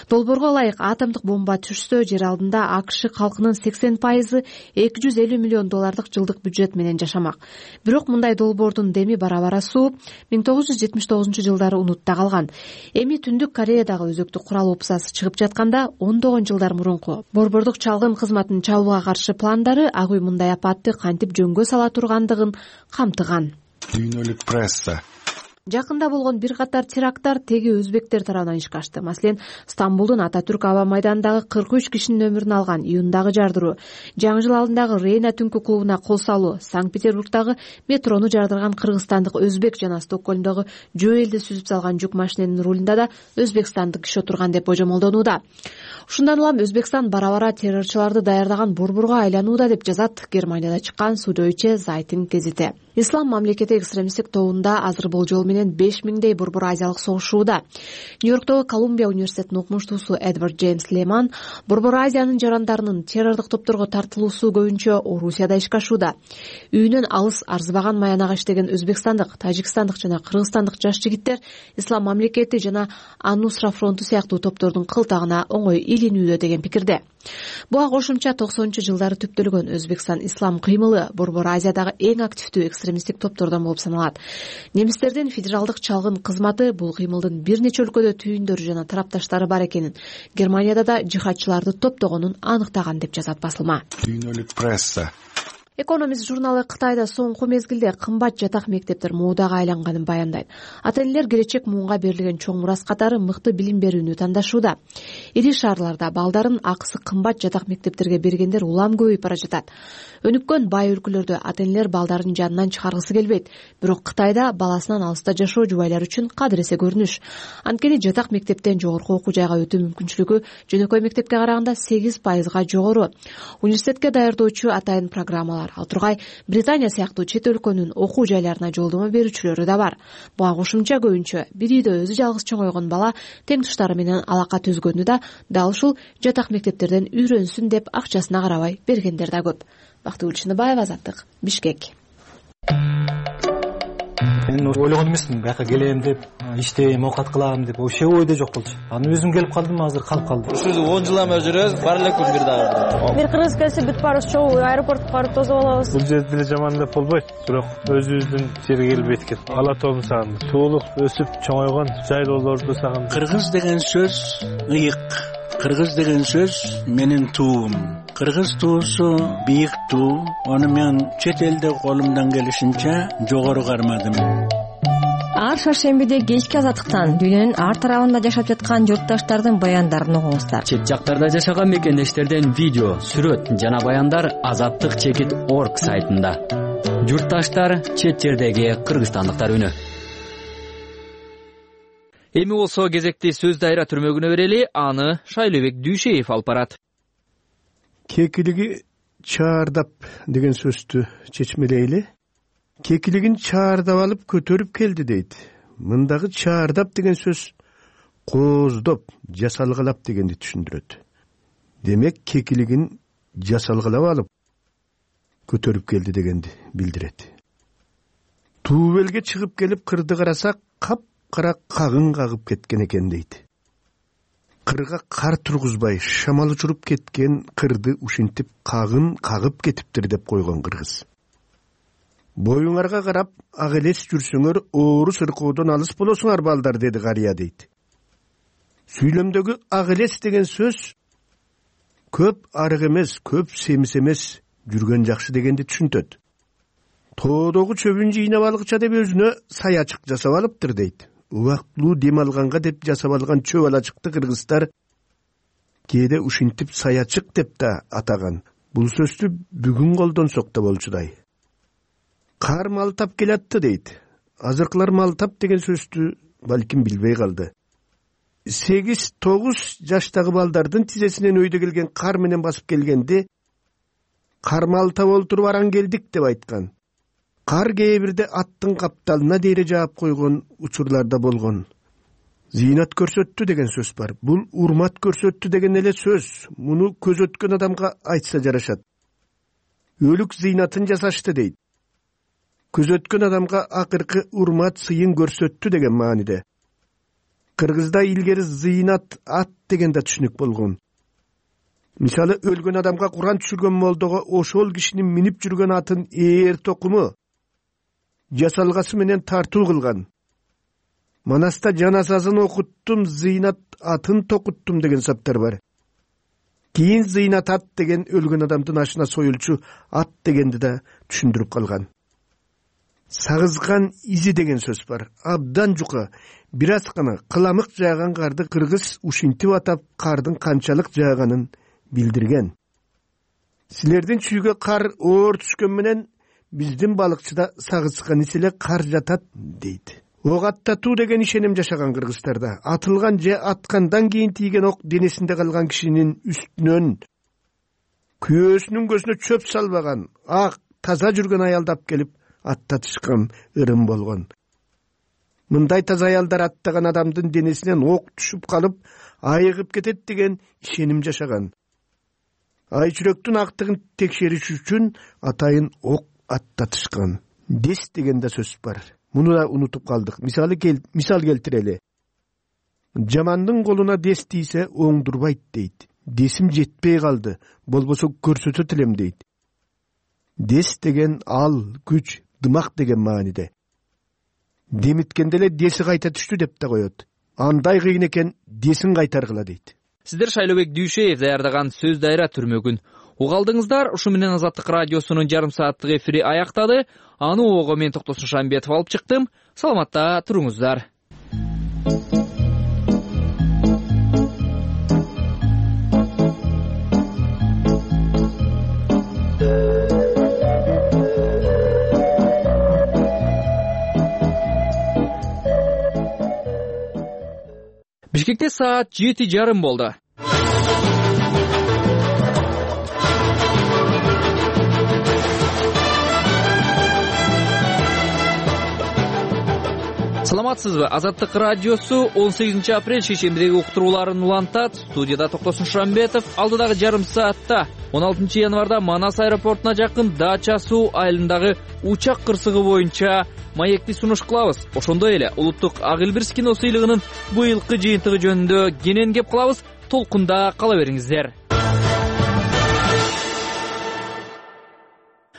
Долбоорго ылайык атомдук бомба түшсө, жер алдында АКШ калкынын сексен пайызы эки жүз элүү миллион доллардык жылдык бюджет менен жашамак. Бирок мындай долбоордун деми бара-бара сууп, миң тогуз жүз жетимиш тогузунчу жылдары унутта калган. Эми Түндүк Кореядагы өзөктүк курал опусасы чыгып жатканда, ондогон жылдар мурунку борбордук чалгын кызматынын чабууга каршы пландары Ак үй мындай апатты кантип жөнгө сала тургандыгын камтыган. Дүйнөлүк пресса. Жакында болгон бир катар теракттар теги өзбектер тарабынан ишке ашты. Маселен, Стамбулдун Ататүрк аба майданындагы кырк үч кишинин өмүрүн алган июндагы жардыруу, жаңы жыл алдындагы Рейна түнкү клубуна кол салуу, Санкт-Петербургдагы метрону жардырган кыргызстандык өзбек жана Стокгольмдогу жөө элди сүзүп салган жүк машиненин рулунда да өзбекстандык киши отурган деп божомолдонууда. Ушундан улам Өзбекстан бара-бара террорчуларды даярдаган борборго айланууда деп жазат Германияда чыккан Судойче Зайтинг гезити. Ислам мамлекети экстремисттик тобунда азыр болжол менен беш миңдей борбор азиялык согушууда. Нью-Йорктогу Колумбия университетинин окумуштуусу Эдвард Джеймс Леман борбор Азиянын жарандарынын террордук топторго тартылуусу көбүнчө Орусияда ишке ашууда. Үйүнөн алыс арзыбаган маянага иштеген өзбекстандык, тажикстандык жана кыргызстандык жаш жигиттер Ислам мамлекети жана Ан-Нусра фронту сыяктуу топтордун кылтагына оңой илинүүдө деген пикирде. Буга кошумча токсонунчу жылдары түптөлгөн Өзбекстан ислам кыймылы борбор Азиядагы эң активдүү экстремисттик топтордон болуп саналат. Немистердин федералдык чалгын кызматы бул кыймылдын бир нече өлкөдө түйүндөрү жана тарапташтары бар экенин, Германияда да жихадчыларды топтогонун аныктаган деп жазат басылма. Дүйнөлүк пресса. Экономист журналы Кытайда соңку мезгилде кымбат жатак мектептер моодага айланганын баяндайт. Ата-энелер келечек муунга берилген чоң мурас катары мыкты билим берүүнү тандашууда. Ири шаарларда балдарын акысы кымбат жатак мектептерге бергендер улам көбөйүп бара жатат. Өнүккөн бай өлкөлөрдө ата-энелер балдарын жанынан чыгаргысы келбейт, бирок Кытайда баласынан алыста жашоо жубайлар үчүн кадыресе көрүнүш. Анткени жатак мектептен жогорку окуу жайга өтүү мүмкүнчүлүгү жөнөкөй мектепке караганда сегиз пайызга жогору. Университетке даярдоочу атайын программалар, ал тургай Британия сыяктуу чет өлкөнүн окуу жайларына жолдомо берүүчүлөрү да бар. Буга кошумча көбүнчө бир үйдө өзү жалгыз чоңойгон бала тең туштары менен алака түзгөндү да дал ушул жатак мектептерден үйрөнсүн деп акчасына карабай бергендер да көп. Бактыгүл Чыныбаева, Азаттык, Бишкек. Мен ойлогон эмесмин, бияка келем деп, иштейм, оокат кылам деп, вообще ойдо жок болчу. Анан өзүм келип калдым, азыр калып калдым. Ушул он жылдан бери жүрөбүз, бар эле күн бир дагы. Бир кыргыз келсе бүт баарыбыз чогуу аэропортко барып тосуп алабыз. Бул жерде деле жаман деп болбойт, бирок өзүбүздүн жерге келбейт экен. Ала тоомду сагындым. Туулук өсүп чоңойгон жайлоолорду сагындым. Кыргыз деген сөз ыйык. Кыргыз деген сөз менин туум. Кыргыз туусу бийик туу. Аны мен чет элде колумдан келишинче жогору кармадым. Ар шаршембиде кечки Азаттыктан дүйнөнүн ар тарабында жашап жаткан журтташтардын баяндарын угуңуздар. Чет жактарда жашаган мекендештерден видео, сүрөт жана баяндар азаттык чекит точка орг сайтында. Журтташтар, чет жердеги кыргызстандыктар үнү. Эми болсо кезекти сөз дайра түрмөгүнө берели, аны Шайлообек Дүйшеев алып барат. Кекилиги чаардап деген сөздү чечмелейли. Кекилигин чаардап алып көтөрүп келди дейт. Мындагы чаардап деген сөз кооздоп, жасалгалап дегенди түшүндүрөт. Демек кекилигин жасалгалап алып көтөрүп келди дегенди билдирет. Туубелге чыгып келип кырды карасак, кап-кара кагын кагып кеткен экен дейт. Кырга кар тургузбай шамал учуруп кеткен кырды ушинтип кагын кагып кетиптир деп койгон кыргыз. Боюңарга карап, ак элес жүрсөңөр, оору сыркоодон алыс болосуңар балдар, деди карыя дейт. Сүйлөмдөгү ак элес деген сөз көп арык эмес, көп семиз эмес, жүргөн жакшы дегенди түшүнтөт. Тоодогу чөбүн жыйнап алгыча деп өзүнө саячык жасап алыптыр дейт. Убактылуу дем алганга деп жасап алган чөп алачыкты кыргыздар кээде ушинтип саячык деп да атаган. Бул сөздү бүгүн колдонсок да болчудай. Кар малтап келатты дейт. Азыркылар малтап деген сөздү балким билбей калды. сегиз тогуз жаштагы балдардын тизесинен өйдө келген кар менен басып келгенде кар малтап олтуруп аран келдик деп айткан. Кар кээ бирде аттын капталына дейре жаап койгон учурларда болгон. Зыйнат көрсөттү деген сөз бар. Бул урмат көрсөттү деген эле сөз. Муну көз өткөн адамга айтса жарашат. Өлүк зыйнатын жасашты дейт. Көз өткөн адамга акыркы урмат сыйын көрсөттү деген мааниде. Кыргызда илгери зыйнат ат деген да түшүнүк болгон. Мисалы өлгөн адамга Куран түшүргөн молдого ошол кишинин минип жүргөн атын ээр токуму жасалгасы менен тартуу кылган. Манаста жаназасын окуттум, зыйнат атын токуттум деген саптар бар. Кийин зыйнат ат деген өлгөн адамдын ашына союлчу ат дегенди да түшүндүрүп калган. Сагызган изи деген сөз бар. Абдан жука, бир аз гана кыламык жааган карды кыргыз ушинтип атап кардын канчалык жааганын билдирген. Силердин чүйгө кар оор түшкөн менен биздин балыкчыда сагызган иселе кар жатат дейт. Ок аттатуу деген ишеним жашаган кыргыздарда. Атылган же аткандан кийин тийген ок денесинде калган кишинин үстүнөн күйөөсүнүн көзүнө чөп салбаган, ак, таза жүргөн аялдап келип аттатышкан ырым болгон. Мындай таза аялдар аттаган адамдын денесинен ок түшүп калып, айыгып кетет деген ишеним жашаган. Ай жүрөктүн актыгын текшериш үчүн атайын ок аттатышкан. Дес деген да сөз бар. Муну да унутуп калдык. Мисалы кел, мисал келтирели. Жамандын колуна дес тийсе оңдурбайт дейт. Десим жетпей калды, болбосо көрсөтөт элем дейт. Дес деген ал, күч, дымак деген мааниде. Демиткенде эле деси кайта түштү деп да коет. Андай кыйын экен, десин кайтаргыла дейт. Сиздер Шайлообек Дүйшеев даярдаган сөз дайра түрмөгүн угалдыңыздар. Ушу менен Азаттык радиосунун жарым сааттык эфири аяктады. Аны ого мен Токтосун Шамбетов алып чыктым. Саламатта туруңуздар. Бишкекте саат жети жарым болду. Саламатсызбы? Азаттык радиосу он сегизинчи апрель шейшембидеги уктурууларын улантат. Студияда Токтосун Шамбетов. Алдыдагы жарым саатта он алтынчы январда Манас аэропортуна жакын Дача суу айылындагы учак кырсыгы боюнча маекти сунуш кылабыз. Ошондой эле улуттук ак илбирс кино сыйлыгынын быйылкы жыйынтыгы жөнүндө кенен кеп кылабыз. Толкунда кала бериңиздер.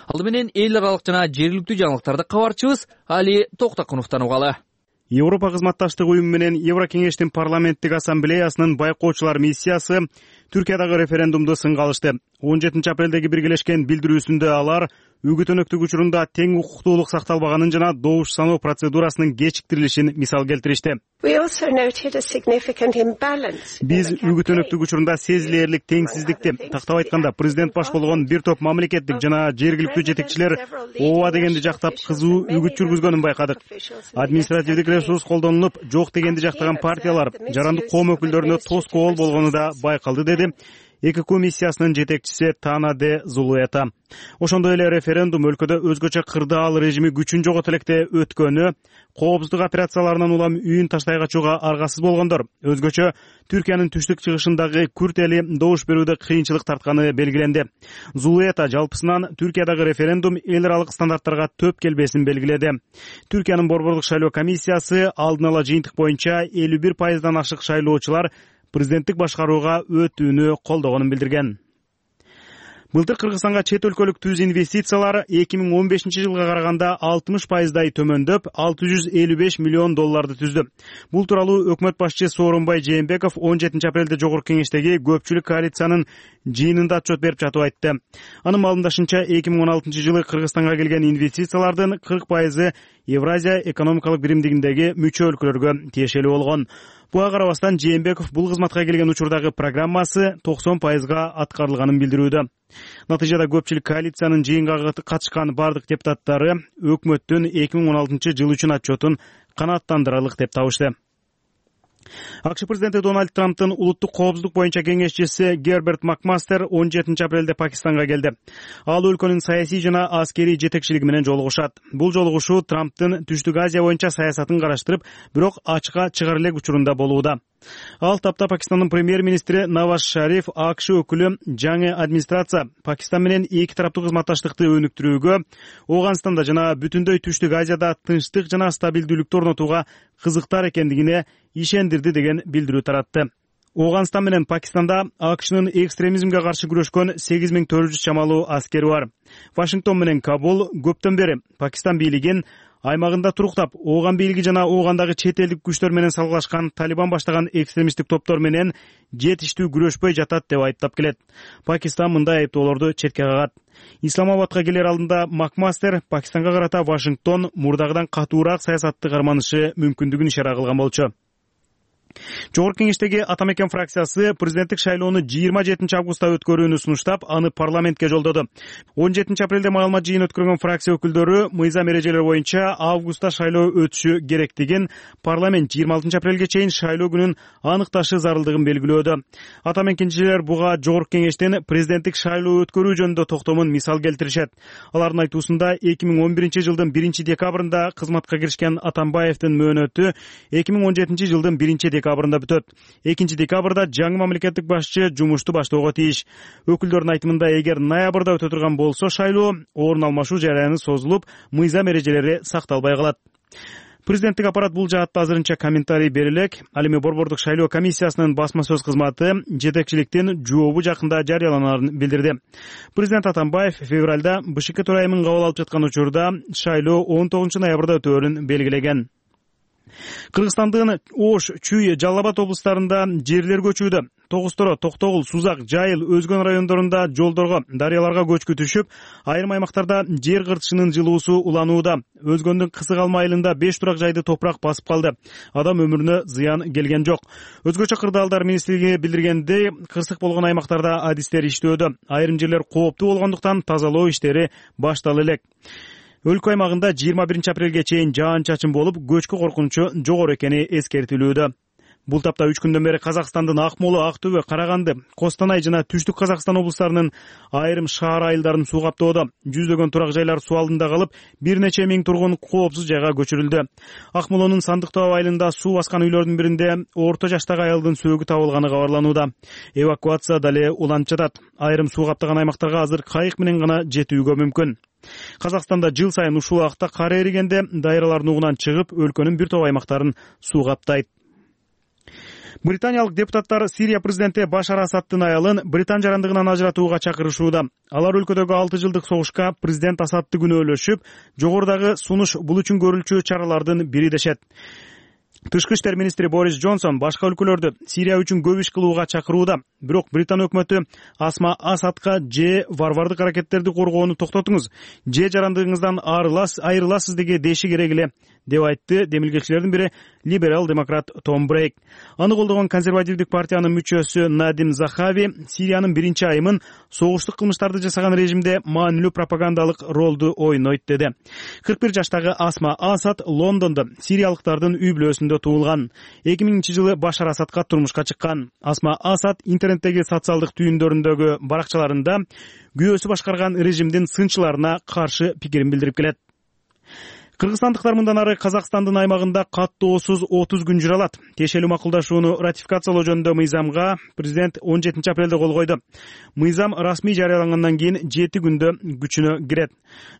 Алды менен эл аралык жана жергиликтүү жаңылыктарды кабарчыбыз Али Токтакуновдон угалы. Европа кызматташтык уюму менен Еврокеңештин парламенттик ассамблеясынын байкоочулар миссиясы Түркиядагы референдумду сынга алышты. он жетинчи апрелдеги биргелешкен билдирүүсүндө алар үгүт өнөктүк учурунда тең укуктуулук сакталбаганын жана добуш саноо процедурасынын кечиктирилишин мисал келтиришти. Биз үгүт өнөктүк учурунда сезилээрлик теңсиздикти, тактап айтканда президент баш болгон бир топ мамлекеттик жана жергиликтүү жетекчилер ооба дегенди жактап кызуу үгүт жүргүзгөнүн байкадык. Административдик ресурс колдонулуп, жок дегенди жактаган партиялар, жарандык коом өкүлдөрүнө тоскоол болгону да байкалды, деди эки комиссиясынын жетекчиси Тана де Зулуэта. Ошондой эле референдум өлкөдө өзгөчө кырдаал режими күчүн жогото электе өткөнү, коопсуздук операцияларынан улам үйүн таштай качууга аргасыз болгондор, өзгөчө Түркиянын түштүк чыгышындагы күрт эли добуш берүүдө кыйынчылык тартканы белгиленди. Зулуэта жалпысынан Түркиядагы референдум эл аралык стандарттарга төп келбесин белгиледи. Түркиянын борбордук шайлоо комиссиясы алдын ала жыйынтык боюнча элүү бир пайыздан ашык шайлоочулар президенттик башкарууга өтүүнү колдогонун билдирген. Былтыр Кыргызстанга чет өлкөлүк түз инвестициялар эки миң он бешинчи жылга караганда алтымыш пайыздай төмөндөп, алты жүз элүү беш миллион долларды түздү. Бул тууралуу өкмөт башчысы Сооронбай Жээнбеков он жетинчи апрелде Жогорку Кеңештеги көпчүлүк коалициянын жыйынында отчет берип жатып айтты. Анын маалымдашынча эки миң он алтынчы жылы Кыргызстанга келген инвестициялардын кырк пайызы Евразия экономикалык биримдигиндеги мүчө өлкөлөргө тиешелүү болгон. Буга карабастан Жээнбеков бул кызматка келген учурдагы программасы токсон пайызга аткарылганын билдирүүдө. Натыйжада көпчүлүк коалициянын жыйынга катышкан бардык депутаттары өкмөттүн эки миң он алтынчы жыл үчүн отчетун канааттандырарлык деп табышты. АКШ президенти Дональд Трамптын улуттук коопсуздук боюнча кеңешчиси Герберт Макмастер он жетинчи апрелде Пакистанга келди. Ал өлкөнүн саясий жана аскерий жетекчилиги менен жолугушат. Бул жолугушуу Трамптын Түштүк Азия боюнча саясатын караштырып, бирок ачыкка чыгар элек учурунда болууда. Ал тапта Пакистандын премьер-министри Наваз Шариф АКШ өкүлү жаңы администрация Пакистан менен эки тараптуу кызматташтыкты өнүктүрүүгө, Ооганстанда жана бүтүндөй Түштүк Азияда тынчтык жана стабилдүүлүктү орнотууга кызыктар экендигине ишендирди деген билдирүү таратты. Ооганстан менен Пакистанда АКШнын экстремизмге каршы күрөшкөн сегиз миң төрт жүз чамалуу аскери бар. Вашингтон менен Кабул көптөн бери Пакистан бийлигин аймагында туруктап, Ооган бийлиги жана Оогандагы чет элдик күчтөр менен салгылашкан Талибан баштаган экстремисттик топтор менен жетиштүү күрөшпөй жатат деп айыптап келет. Пакистан мындай айыптоолорду четке кагат. Исламабадка келер алдында Макмастер Пакистанга карата Вашингтон мурдагыдан катуураак саясатты карманышы мүмкүндүгүн ишара кылган болчу. Жогорку Кеңештеги Ата Мекен фракциясы президенттик шайлоону жыйырма жетинчи августта өткөрүүнү сунуштап, аны парламентке жолдоду. он жетинчи апрелде маалымат жыйын өткөргөн фракция өкүлдөрү мыйзам эрежелери боюнча августта шайлоо өтүшү керектигин, парламент жыйырма алтынчы апрелге чейин шайлоо күнүн аныкташы зарылдыгын белгилөөдө. Ата Мекенчилер буга Жогорку Кеңештин президенттик шайлоо өткөрүү жөнүндө токтомун мисал келтиришет. Алардын айтуусунда эки миң он биринчи жылдын биринчи декабрында кызматка киришкен Атамбаевдин мөөнөтү эки миң он жетинчи жылдын биринчи декабрында бүтөт. экинчи декабрда жаңы мамлекеттик башчы жумушту баштоого тийиш. Өкүлдөрдүн айтымында, эгер ноябрда өтө турган болсо шайлоо, орун алмашуу жараяны созулуп, мыйзам эрежелери сакталбай калат. Президенттик аппарат бул жаатта азырынча комментарий бере элек. Ал эми Борбордук шайлоо комиссиясынын басма сөз кызматы жетекчиликтин жообу жакында жарыяланарын билдирди. Президент Атамбаев февралда БШК төрайымын кабыл алып жаткан учурда шайлоо он тогузунчу ноябрда өтөөрүн белгилеген. Кыргызстандын Ош, Чүй, Жалал Абад облустарында жерлер көчүүдө. Тогусторо, Токтогул, Сузак, Жайыл, өзгөн райондорунда жолдорго, дарыяларга көчкү түшүп, айрым аймактарда жер кыртышынын жылуусу уланууда. Өзгөндүн Кысык Алма айылында беш турак жайды топурак басып калды. Адам өмүрүнө зыян келген жок. Өзгөчө кырдаалдар министрлиги билдиргендей, кырсык болгон аймактарда адистер иштөөдө. Айрым жерлер кооптуу болгондуктан тазалоо иштери башталып элек. Өлкө аймагында жыйырма биринчи апрелге чейин жаан-чачын болуп, көчкү коркунучу жогору экени эскертилүүдө. Бул тапта үч күндөн бери Казакстандын Акмола, Актөбө, Караганды, Костанай жана Түштүк Казакстан облустарынын айрым шаар айылдарын суу каптоодо. Жүздөгөн турак жайлар суу алдында калып, бир нече миң тургун коопсуз жайга көчүрүлдү. Акмолонун Сандыктоо айылында суу баскан үйлөрдүн биринде орто жаштагы аялдын сөөгү табылганы кабарланууда. Эвакуация дале уланып жатат. Айрым суу каптаган аймактарга азыр кайык менен гана жетүүгө мүмкүн. Казакстанда жыл сайын ушул убакта кар эригенде дайралар нугунан чыгып, өлкөнүн бир топ аймактарын суу каптайт. Британиялык депутаттар Сирия президенти Башар Асаддын аялын Британ жарандыгынан ажыратууга чакырышууда. Алар өлкөдөгү алты жылдык согушка президент Асадды күнөөлөшүп, жогорудагы сунуш бул үчүн көрүлчү чаралардын бири дешет. Тышкы иштер министри Борис Джонсон башка өлкөлөрдү Сирия үчүн көп иш кылууга чакырууда. Бирок Британ өкмөтү Асма Асадка же варвардык аракеттерди коргоону токтотуңуз, же жарандыгыңыздан айрыласыз деги деши керек эле, деп айтты демилгечилердин бири либерал демократ Том Брейк. Аны колдогон консервативдик партиянын мүчөсү Надим Захави Сириянын биринчи айымын согуштук кылмыштарды жасаган режимде маанилүү пропагандалык ролду ойнойт деди. кырк бир жаштагы Асма Асад Лондондо сириялыктардын үй бүлөсүндө туулган. эки миңинчи жылы Башар Асадка турмушка чыккан. Асма Асад интернеттеги социалдык түйүндөрүндөгү баракчаларында күйөөсү башкарган режимдин сынчыларына каршы пикирин билдирип келет. Кыргызстандыктар мындан ары Казакстандын аймагында каттоосуз отуз күн жүрө алат. Тиешелүү макулдашууну ратификациялоо жөнүндө мыйзамга президент он жетинчи апрелде кол койду. Мыйзам расмий жарыялангандан кийин жети күндө күчүнө кирет.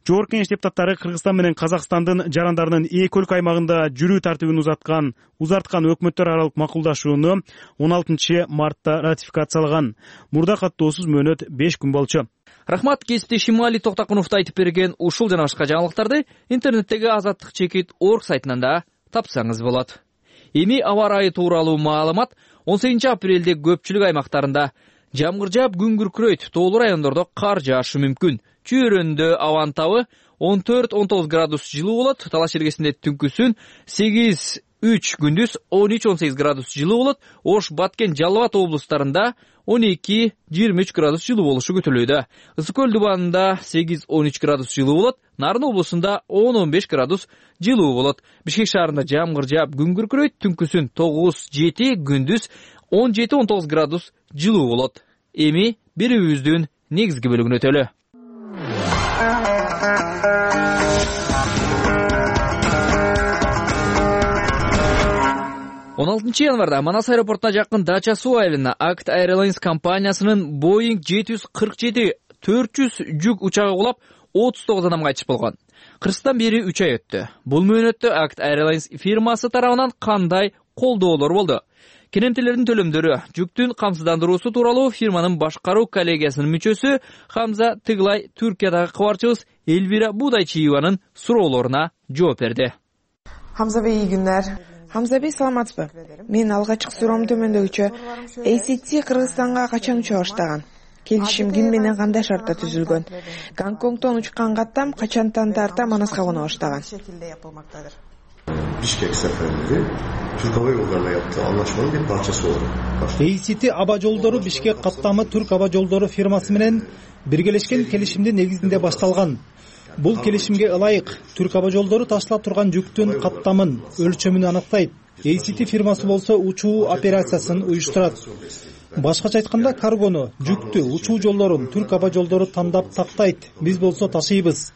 Жогорку Кеңеш депутаттары Кыргызстан менен Казакстандын жарандарынын эки өлкө аймагында жүрүү тартибин узаткан, узарткан өкмөттөр аралык макулдашууну он алтынчы мартта ратификациялаган. Мурда каттоосуз мөөнөт беш күн болчу. Рахмат, кесиптешим Али Токтокуновду айтып берген ушул жана башка жаңылыктарды интернеттеги азаттык чекит точка орг сайтынан да тапсаңыз болот. Эми аба ырайы тууралуу маалымат. он сегизинчи апрелде көпчүлүк аймактарында жамгыр жаап, күн күркүрөйт, тоолуу райондордо кар жаашы мүмкүн. Чүйөрөндө абанын табы он төрт он тогуз градус жылуу болот. Талаш эргесинде түнкүсүн сегиз үч, күндүз он үч он сегиз градус жылуу болот. Ош, Баткен, Жалал Абад облустарында он эки жыйырма үч градус жылуу болушу күтүлүүдө. Ысык көл дубанында сегиз он үч градус жылуу болот. Нарын облусунда он он беш градус жылуу болот. Бишкек шаарында жамгыр жаап, күн күркүрөйт, түнкүсүн тогуз жети, күндүз он жети он тогуз градус жылуу болот. Эми берүүбүздүн негизги бөлүгүнө өтөлү. он алтынчы январда Манас аэропортуна жакын Дача суу айылына Act Airlines компаниясынын Boeing жети жүз кырк жети төрт жүз жүк учагы кулап, отуз тогуз адам кайтыш болгон. Кыргызстан бери үч ай өттү. Бул мөөнөттө Act Airlines фирмасы тарабынан кандай колдоолор болду? Керемтелердин төлөмдөрү, жүктүн камсыздандыруусу тууралуу фирманын башкаруу коллегиясынын мүчөсү Хамза Тыглай Түркиядагы кабарчыбыз Эльвира Будайчиеванын суроолоруна жооп берди. Хамза бей, iyi günler. Хамза бей, саламатсызбы? Мен алгачкы суроом төмөндөгүчө. эй си ти Кыргызстанга качан уча баштаган? Келишим ким менен кандай шартта түзүлгөн? Гонконгдон учкан каттам качантан тарта Манаска кона баштаган? Бишкек сеферинде Türk Hava Yolları'na yaptığı anlaşmanın bir parçası oldu. эй си ти аба жолдору Бишкек каттамы Түрк аба жолдору фирмасы менен биргелешкен келишимдин негизинде башталган. Бул келишимге ылайык Түрк аба жолдору ташталып турган жүктүн каттамын, өлчөмүн аныктайт. эй си ти фирмасы болсо учуу операциясын уюштурат. Башкача айтканда, каргону, жүктү, учуу жолдорун Түрк аба жолдору тандап тактайт. Биз болсо ташыйбыз.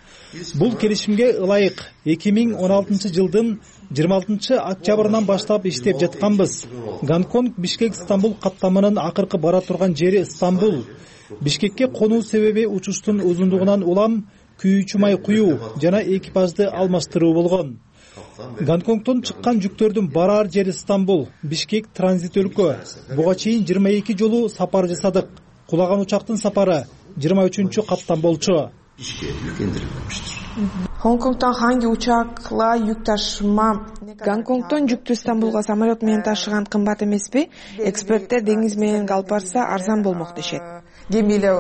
Бул келишимге ылайык эки миң он алтынчы жылдын жыйырма алтынчы октябрынан баштап иштеп жатканбыз. Гонконг Бишкек Стамбул каттамынын акыркы бара турган жери Стамбул. Бишкекке конуу себеби учуштун узундугунан улам күйүүчү май куюу жана экипажды алмаштыруу болгон. Гонконгдон чыккан жүктөрдүн бараар жери Стамбул, Бишкек транзит өлкө. Буга чейин жыйырма эки жолу сапар жасадык. Кулаган учактын сапары жыйырма үчүнчү каттан болчу. Гонконгдон ханги учакла жүк ташыма? Гонконгдон жүктү Стамбулга самолет менен ташыган кымбат эмеспи? Эксперттер деңиз менен алып барса арзан болмок дешет. Гемиyle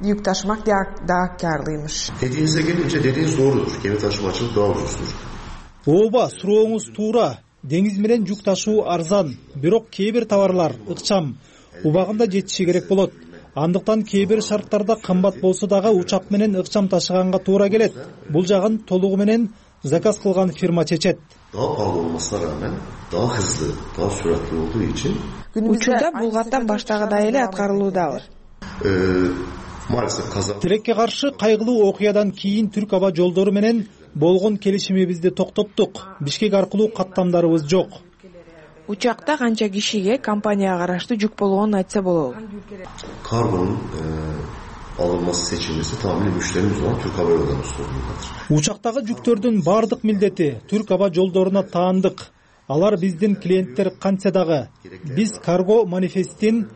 yük taşımak daha karlıymış. Dediğinize gelince dediğiniz doğrudur. Gemi taşımacılık daha ucuzdur. Ооба, сурооңуз туура. Деңиз менен жүк ташуу арзан, бирок кээ бир товарлар ыкчам, убагында жетиши керек болот. Андыктан кээ бир шарттарда кымбат болсо дагы учак менен ыкчам ташыганга туура келет. Бул жагын толугу менен заказ кылган фирма чечет. Daha pahalı olmasına rağmen daha hızlı, daha süratli olduğu için учурда бул каттам баштагыдай эле аткарылуудабы. Тилекке каршы кайгылуу окуядан кийин Түрк аба жолдору менен болгон келишимибизди токтоттук. Бишкек аркылуу каттамдарыбыз жок. Учакта канча кишиге компанияга караштуу жүк болгонун айтса болобу? Kargonun e, alınması seçilmesi tamamıyla müşterimiz olan Türk Hava Yolları'nın sorumludur. Учактагы жүктөрдүн бардык милдети Түрк аба жолдоруна таандык. Алар биздин клиенттер кантса дагы. Биз карго манифестин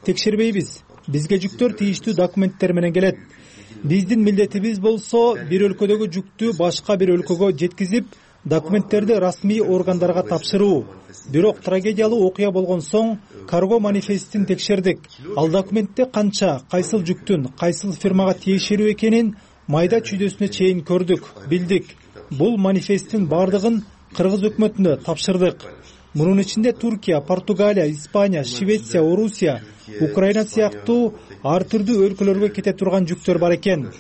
текшербейбиз. Бизге жүктөр тийиштүү документтер менен келет. Биздин милдетибиз болсо бир өлкөдөгү жүктү башка бир өлкөгө жеткизип, документтерди расмий органдарга тапшыруу. Бирок трагедиялуу окуя болгон соң карго манифестин текшердик. Ал документте канча, кайсыл жүктүн, кайсыл фирмага тиешелүү экенин майда чүйдөсүнө чейин көрдүк, билдик. Бул манифесттин бардыгын кыргыз өкмөтүнө тапшырдык. Мунун ичинде Туркия, Португалия, Испания, Швеция, Орусия, Украина сыяктуу ар түрдүү өлкөлөргө кете турган жүктөр бар экен.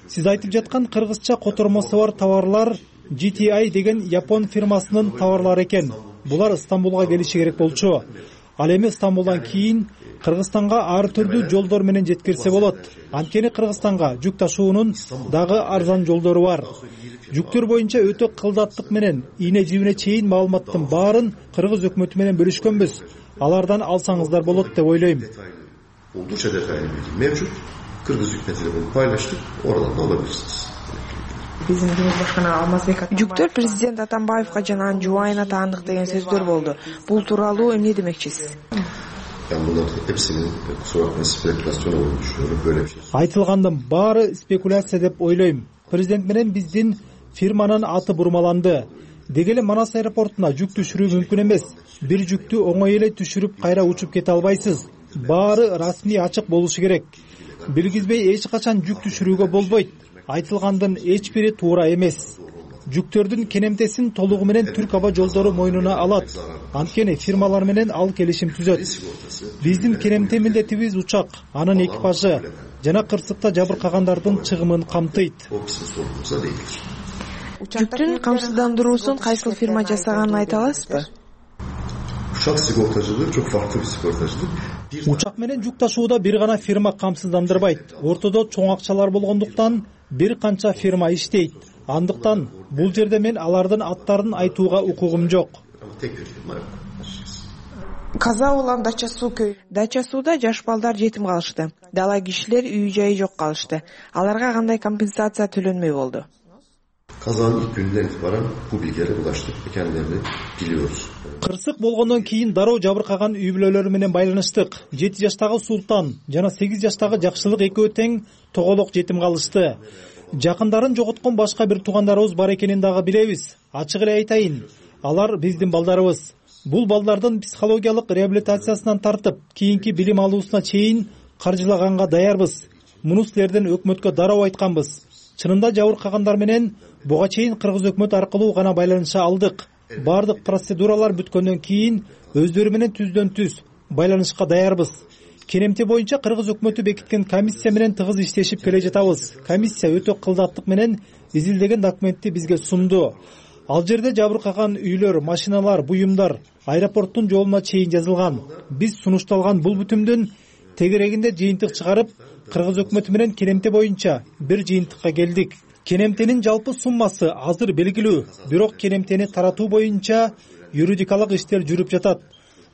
Сиз айтып жаткан кыргызча котормосу бар товарлар джи ти ай деген Япон фирмасынын товарлары экен. Булар Стамбулга келиши керек болчу. Ал эми Стамбулдан кийин Кыргызстанга ар түрдүү жолдор менен жеткирсе болот. Анткени Кыргызстанга жүк ташуунун дагы арзан жолдору бар. Жүктөр боюнча өтө кылдаттык менен ийне жибине чейин маалыматтын баарын кыргыз өкмөтү менен бөлүшкөнбүз. Алардан алсаңыздар болот деп ойлойм. Oldukça detaylı bilgi mevcut. Kırgız hükümetiyle bunu paylaştık. Oradan da alabilirsiniz. Жүктөр президент Атамбаевга жана анын жубайына таандык деген сөздөр болду. Бул тууралуу эмне демекчисиз? Ben bunların hepsinin kusura bakmayın spekülasyon olduğunu düşünüyorum. Böyle bir şey. Айтылгандын баары спекуляция деп ойлойм. Президент менен биздин фирманын аты бурмаланды. Деги эле Манас аэропортуна жүк түшүрүү мүмкүн эмес. Бир жүктү оңой эле түшүрүп кайра учуп кете албайсыз. Баары расмий ачык болушу керек. Билгизбей эч качан жүк түшүрүүгө болбойт. Айтылгандын эч бири туура эмес. Жүктөрдүн кенемтесин толугу менен Түрк аба жолдору мойнуна алат. Анткени фирмалар менен ал келишим түзөт. Биздин кенемте милдетибиз учак, анын экипажы жана кырсыкта жабыркагандардын чыгымын камтыйт. Жүктүн камсыздандыруусун кайсыл фирма жасаганын айта аласызбы? Uçak sigortacılığı çok farklı bir sigortacılık. Учак менен жүк ташууда бир гана фирма камсыздандырбайт. Ортодо чоң акчалар болгондуктан бир канча фирма иштейт. Андыктан бул жерде мен алардын аттарын айтууга укугум жок. Каза улам Дача суу көй. Дача сууда жаш балдар жетим калышты. Дала кишилер үй жайы жок калышты. Аларга кандай компенсация төлөнмөй болду? Kazanın ilk günden itibaren bu bilgilere ulaştık ve kendilerini biliyoruz. Кырсык болгондон кийин дароо жабыркаган үй бүлөлөрү менен байланыштык. жети жаштагы Султан жана сегиз жаштагы Жакшылык экөө тең тоголок жетим калышты. Жакындарын жоготкон башка бир туугандарыбыз бар экенин дагы билебиз. Ачык эле айтайын, алар биздин балдарыбыз. Бул балдардын психологиялык реабилитациясынан тартып, кийинки билим алуусуна чейин каржылаганга даярбыз. Муну силерден өкмөткө дароо айтканбыз. Чынында жабыркагандар менен буга чейин кыргыз өкмөт аркылуу гана байланыша алдык. Бардык процедуралар бүткөндөн кийин өздөрү менен түздөн түз байланышка даярбыз. Кенемте боюнча кыргыз өкмөтү бекиткен комиссия менен тыгыз иштешип келе жатабыз. Комиссия өтө кылдаттык менен изилдеген документти бизге сунду. Ал жерде жабыркаган үйлөр, машиналар, буюмдар аэропорттун жолуна чейин жазылган. Биз сунушталган бул бүтүмдүн тегерегинде жыйынтык чыгарып, кыргыз өкмөтү менен кенемте боюнча бир жыйынтыкка келдик. Кенемтенин жалпы суммасы азыр белгилүү, бирок кенемтени таратуу боюнча юридикалык иштер жүрүп жатат.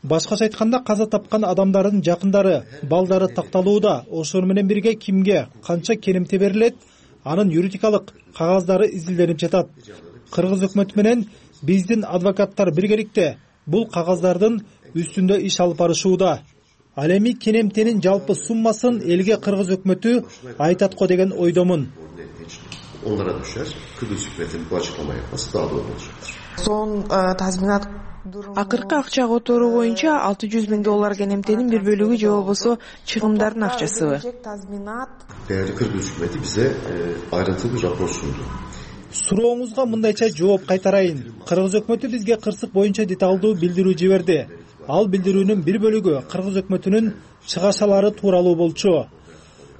Башкача айтканда каза тапкан адамдардын жакындары, балдары такталууда. Ошол менен бирге кимге канча кенемте берилет, анын юридикалык кагаздары изилденип жатат. Кыргыз өкмөтү менен биздин адвокаттар биргеликте бул кагаздардын үстүндө иш алып барышууда. Ал эми кенемтенин жалпы суммасын элге кыргыз өкмөтү айтат го деген ойдомун. Onlara düşer. Kıbrıs hükümetinin bu açıklama yapması daha doğru olacaktır. Son tazminat акыркы акча которуу боюнча алты жүз миң доллар кенемтенин бир бөлүгү же болбосо чыгымдардын акчасыбы? Değerli Kıbrıs hükümeti bize ayrıntılı bir rapor sundu. Сурооңузга мындайча жооп кайтарайын. Кыргыз өкмөтү бизге кырсык боюнча деталдуу билдирүү жиберди. Ал билдирүүнүн бир бөлүгү кыргыз өкмөтүнүн чыгашалары тууралуу болчу.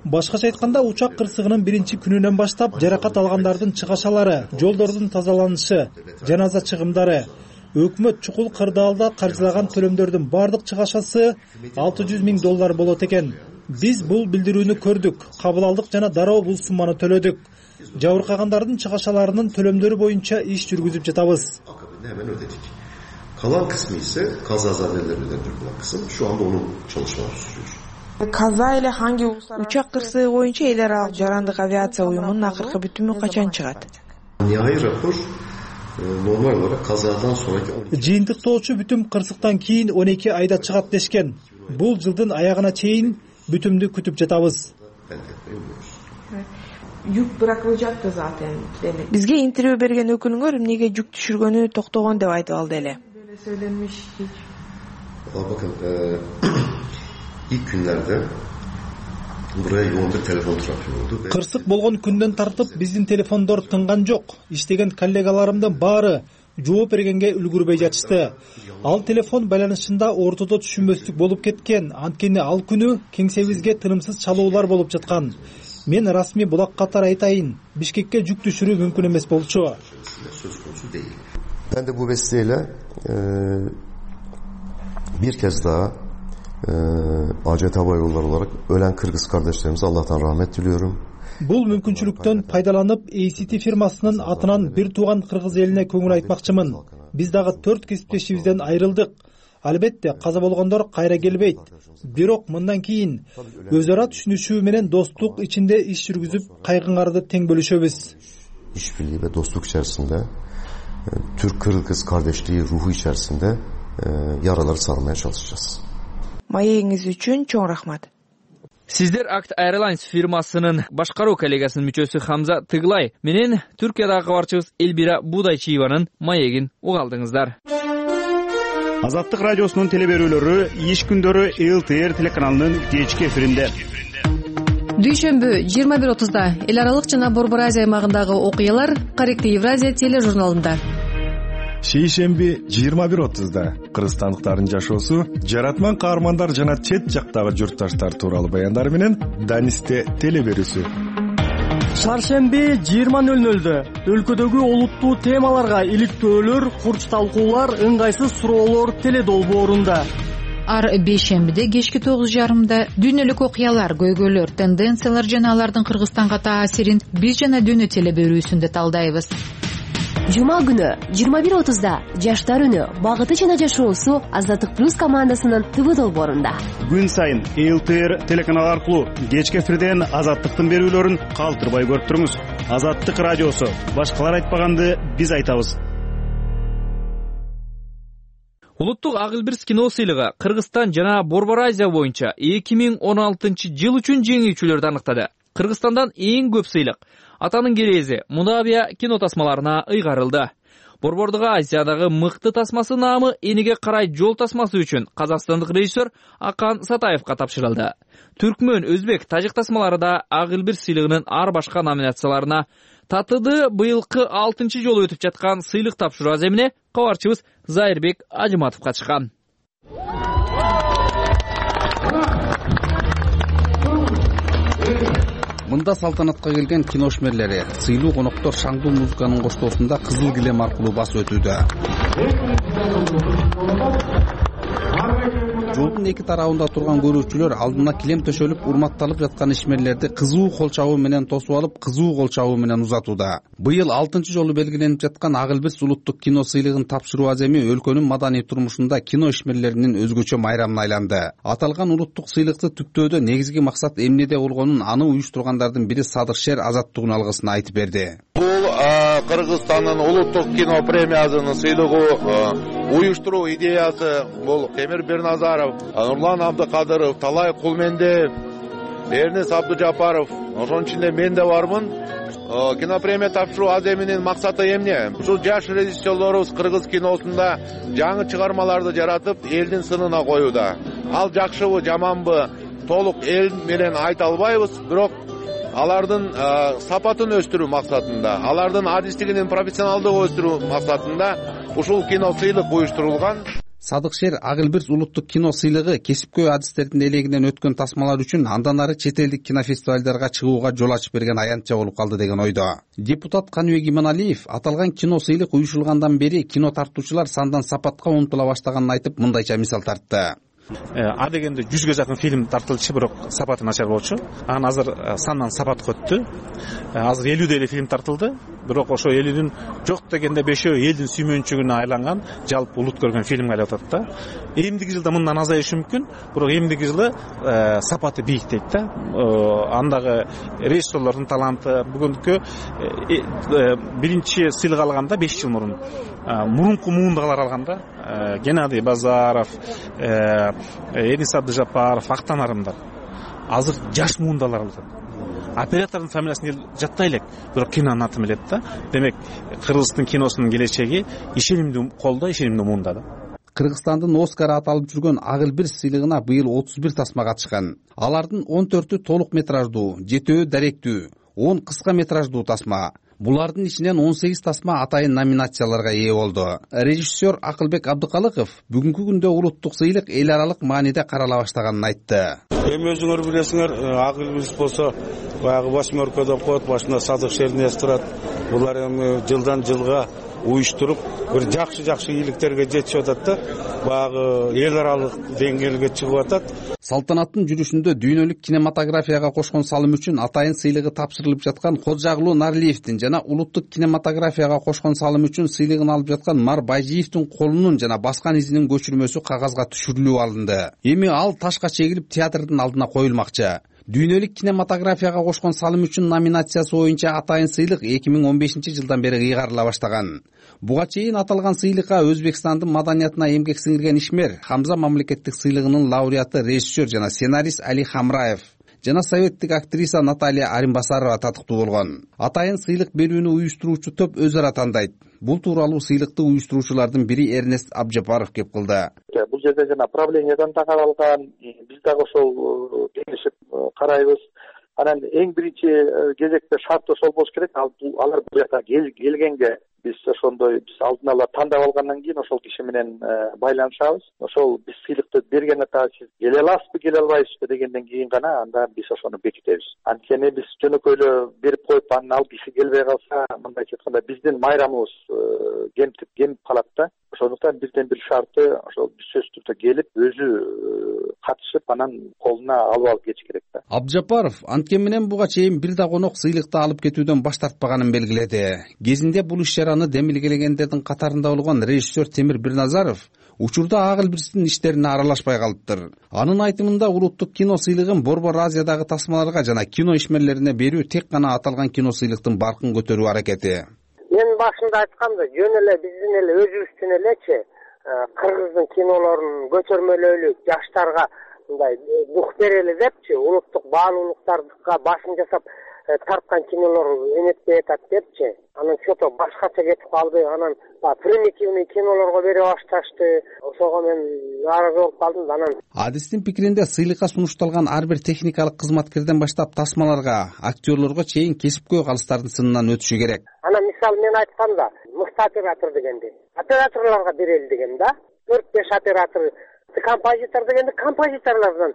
Башкача айтканда, учак кырсыгынын биринчи күнүнөн баштап жаракат алгандардын чыгашалары, жолдордун тазаланышы, жаназа чыгымдары, өкмөт чукул кырдаалда каржылаган төлөмдөрдүн бардык чыгашасы алты жүз миң доллар болот экен. Биз бул билдирүүнү көрдүк, кабыл алдык жана дароо бул сумманы төлөдүк. Жабыркагандардын чыгашаларынын төлөмдөрү боюнча иш жүргүзүп жатабыз. Hemen ödedik. Kalan kısmı ise kazazadelerle ödendirilen kısım. Şu anda onun çalışmaları sürüyor. Каза эле hangi учак кырсыгы боюнча эл аралык жарандык авиация уюмунун акыркы бүтүмү качан чыгат? Nihai rapor normal olarak kazadan sonraki жыйынтыктоочу бүтүм кырсыктан кийин он эки айда чыгат дешкен. Бул жылдын аягына чейин бүтүмдү күтүп жатабыз. Жүк bırakılacaktı zaten. Бизге интервью берген өкүлүңөр эмнеге жүк түшүргөнү токтогон деп айтып алды эле. Böyle söylenmiş hiç. Bakın ilk günlerde buraya yoğun bir telefon trafiği oldu. Кырсык болгон күндөн тартып биздин телефондор тынган жок. Иштеген коллегаларымдын баары жооп бергенге үлгүрбөй жатышты. Ал телефон байланышында ортодо түшүнбөстүк болуп кеткен. Анткени ал күнү кеңсебизге тынымсыз чалуулар болуп жаткан. Мен расмий булак катары айтайын, Бишкекке жүк түшүрүү мүмкүн эмес болчу. Ben de bu vesileyle e, bir kez daha e, A C T Hava Yolları olarak ölen Kırgız kardeşlerimize Allah'tan rahmet diliyorum. Бул мүмкүнчүлүктөн пайдаланып A C T фирмасынын атынан бир тууган кыргыз элине көңүл айтмакчымын. Биз дагы төрт кесиптешибизден айрылдык. Албетте каза болгондор кайра келбейт. Бирок мындан кийин өз ара түшүнүшүү менен достук ичинде иш жүргүзүп, кайгыңарды тең бөлүшөбүз. İşbirliği ve dostluk içerisinde Türk-Kırgız kardeşliği ruhu içerisinde e, yaraları sarmaya çalışacağız. Маегиңиз үчүн чоң рахмат. Сиздер Акт Airlines фирмасынын башкаруу коллегасынын мүчөсү Хамза Тыглай менен Түркиядагы кабарчыбыз Элбира Будайчиеванын маегин угалдыңыздар. Азаттык радиосунун телеберүүлөрү иш күндөрү Эл Т Р телеканалынын кечки эфиринде. Дүйшөмбү жыйырма бир отузда эл аралык жана Борбор Азия аймагындагы окуялар Корректив Евразия тележурналында. Шейшемби жыйырма бир отузда кыргызстандыктардын жашоосу, жаратман каармандар жана чет жактагы журтташтар тууралуу баяндар менен Данисте телеберүүсү. Шаршемби жыйырма нөл нөлдө өлкөдөгү олуттуу темаларга иликтөөлөр, курч талкуулар, ыңгайсыз суроолор теледолбоорунда. Ар бейшембиде кечки тогуз жарымда дүйнөлүк окуялар, көйгөйлөр, тенденциялар жана алардын Кыргызстанга таасирин биз жана дүйнө телеберүүсүндө талдайбыз. Жума күнү жыйырма бир отузда жаштар үнү багыты жана жашоосу Азаттык плюс командасынын Т В долбоорунда. Күн сайын Эл Т Р телеканалы аркылуу кечки эфирден Азаттыктын берүүлөрүн калтырбай көрүп туруңуз. Азаттык радиосу, башкалар айтпаганды биз айтабыз. Улуттук Агылбирс кино сыйлыгы Кыргызстан жана Борбор Азия боюнча эки миң он алтынчы жыл үчүн жеңүүчүлөрдү аныктады. Кыргызстандан эң көп сыйлык Атанын келези Мудавия кино тасмаларына ыйгарылды. Борбордук Азиядагы мыкты тасмасы наамы Энеге карай жол тасмасы үчүн казакстандык режиссер Акан Сатаевга тапшырылды. Түркмөн, өзбек, тажик тасмалары да Агылбирс сыйлыгынын ар башка номинацияларына татыды. Быйылкы алтынчы жолу өтүп жаткан сыйлык тапшыруу аземине кабарчыбыз Зайырбек Ажыматов катышкан. Мында салтанатка келген киношмерлери, сыйлуу коноктор шаңдуу музыканын коштоосунда кызыл килем аркылуу басып өтүүдө. Жолдун эки тарабында турган көрүүчүлөр алдына килем төшөлүп урматталып жаткан ишмерлерди кызуу кол чабуу менен тосуп алып, кызуу кол чабуу менен узатууда. Быйыл алтынчы жолу белгиленип жаткан Агылбирс улуттук кино сыйлыгын тапшыруу аземи өлкөнүн маданий турмушунда кино ишмерлеринин өзгөчө майрамына айланды. Аталган улуттук сыйлыкты түптөөдө негизги максат эмнеде болгонун аны уюштургандардын бири Садыр Шер Азаттыгын алгысын айтып берди. Бул Кыргызстандын улуттук кино премиясынын сыйлыгы уюштуруу идеясы бул Темир Бирназаров, Нурлан Абдыкадыров, Талай Кулмендиев, Эрнес Абдужапаров, ошонун ичинде мен да бармын. Кинопремия тапшыруу аземинин максаты эмне? Ушул жаш режиссерлорубуз кыргыз киносунда жаңы чыгармаларды жаратып, элдин сынына коюуда. Ал жакшыбы, жаманбы толук эл менен айта албайбыз, бирок алардын сапатын өстүрүү максатында, алардын адистигинин профессионалдыгын өстүрүү максатында ушул кино сыйлык уюштурулган. Садыкшер Агылбирс улуттук кино сыйлыгы кесипкөй адистердин элегинен өткөн тасмалар үчүн андан ары чет элдик кинофестивалдарга чыгууга жол ачып берген аянтча болуп калды деген ойдо. Депутат Каныбек Иманалиев аталган кино сыйлык уюшулгандан бери кино тартуучулар сандан сапатка умтула баштаганын айтып, мындайча мисал тартты. А дегенде жүзгө жакын фильм тартылчу, бирок сапаты начар болчу. Анан азыр сандан сапатка өттү. Азыр элүү эле фильм тартылды, бирок ошо элүүнүн жок дегенде бешөө элдин сүймөнчүгүнө айланган, жалпы улут көргөн фильмге айланып атат да. Эмдиги жылда мындан азайышы мүмкүн, бирок эмдиги жылы сапаты бийик дейт да. Андагы режиссерлордун таланты бүгүнкү биринчи сыйлык алганда беш жыл мурун мурунку муундагылар алганда Геннадий Базаров, Эрнес Абдужапаров, Актан Арымдар. Азыр жаш муундалар алат. Оператордун фамилиясын жаттай элек, бирок кинонун атын билет да. Демек, Кыргыздын киносунун келечеги ишенимдүү колдо, ишенимдүү муунда да. Кыргызстандын Оскар аталып жүргөн Агылбирс сыйлыгына быйыл отуз бир тасма катышкан. Алардын он төртү толук метраждуу, жетөө даректүү, он кыска метраждуу тасма. Булардын ичинен он сегиз тасма атайын номинацияларга ээ болду. Режиссер Акылбек Абдыкалыков бүгүнкү күндө улуттук сыйлык эл аралык мааниде карала баштаганын айтты. Эми өзүңөр билесиңер, Агылбирс болсо баягы восьмеркодон коет, башында Садыкшердин эс турат. Булар эми жылдан жылга уюштуруп бир жакшы-жакшы ийгиликтерге жетишип атат да. Баягы эл аралык деңгээлге чыгып атат. Салтанаттын жүрүшүндө дүйнөлүк кинематографияга кошкон салым үчүн атайын сыйлыгы тапшырылып жаткан Ходжагулуу Нарлиевдин жана улуттук кинематографияга кошкон салым үчүн сыйлыгын алып жаткан Мар Байжиевдин колунун жана баскан изинин көчүрмөсү кагазга түшүрүлүп алынды. Эми ал ташка чегилип театрдын алдына коюлмакчы. Дүйнөлүк кинематографияга кошкон салым үчүн номинациясы боюнча атайын сыйлык эки миң он бешинчи жылдан бери кыйгарыла баштаган. Буга чейин аталган сыйлыкка Өзбекстандын маданиятына эмгек сиңирген ишмер Хамза мамлекеттик сыйлыгынын лауреаты режиссер жана сценарист Али Хамраев жана советтик актриса Наталья Аримбасарова татыктуу болгон. Атайын сыйлык берүүнү уюштуруучу топ өз ара тандайт. Бул тууралуу сыйлыкты уюштуруучулардын бири Эрнест Абжапаров кеп кылды. Бул жерде жана правлениядан да каралган, биз дагы ошол кеңешип карайбыз. Анан эң биринчи кезекте шарт ошол болуш керек. Алар бул жака келгенге биз ошондой биз алдын ала тандап алгандан кийин ошол киши менен байланышабыз. Ошол биз сыйлыкты берген ата сиз келе аласызбы, келе албайсызбы дегенден кийин гана анда биз ошону бекитебиз. Анткени биз жөнөкөй эле берип коюп анан ал киши келбей калса, мындайча айтканда биздин майрамыбыз кемтип кемип калат да. Ошондуктан бизден бир шарты ошол сөзсүз түрдө келип өзү катышып анан колуна алып алып кетиш керек да. Абжапаров анткени менен буга чейин бир да конок сыйлыкты алып кетүүдөн баш тартпаганын белгиледи. Кезинде бул иш чараны демилгелегендердин катарында болгон режиссер Темир Бирназаров учурда Агылбирстин иштерине аралашпай калыптыр. Анын айтымында улуттук кино сыйлыгын Борбор Азиядагы тасмаларга жана кино ишмерлерине берүү тек гана аталган кино сыйлыктын баркын көтөрүү аракети. Мен башында айткамда, жөн эле биздин эле өзүбүздүн элечи кыргыздын кинолорун көтөрмөлөлүк жаштарга мындай дух берели депчи, улуттук баалуулуктарга башын жасап тарткан кинолор өнөкпөй атат депчи. Анан чото башкача кетип калды. Анан примитивный кинолорго бере башташты. Ошого мен нааразы болуп калдым. Анан адистин пикиринде сыйлыкка сунушталган ар бир техникалык кызматкерден баштап тасмаларга, актерлорго чейин кесипкөй калыстардын сынынан өтүшү керек. Анан мисалы мен айтканда, мыкты оператор дегенди операторлорго берели деген да. төрт беш оператор, композитор дегенди композиторлордон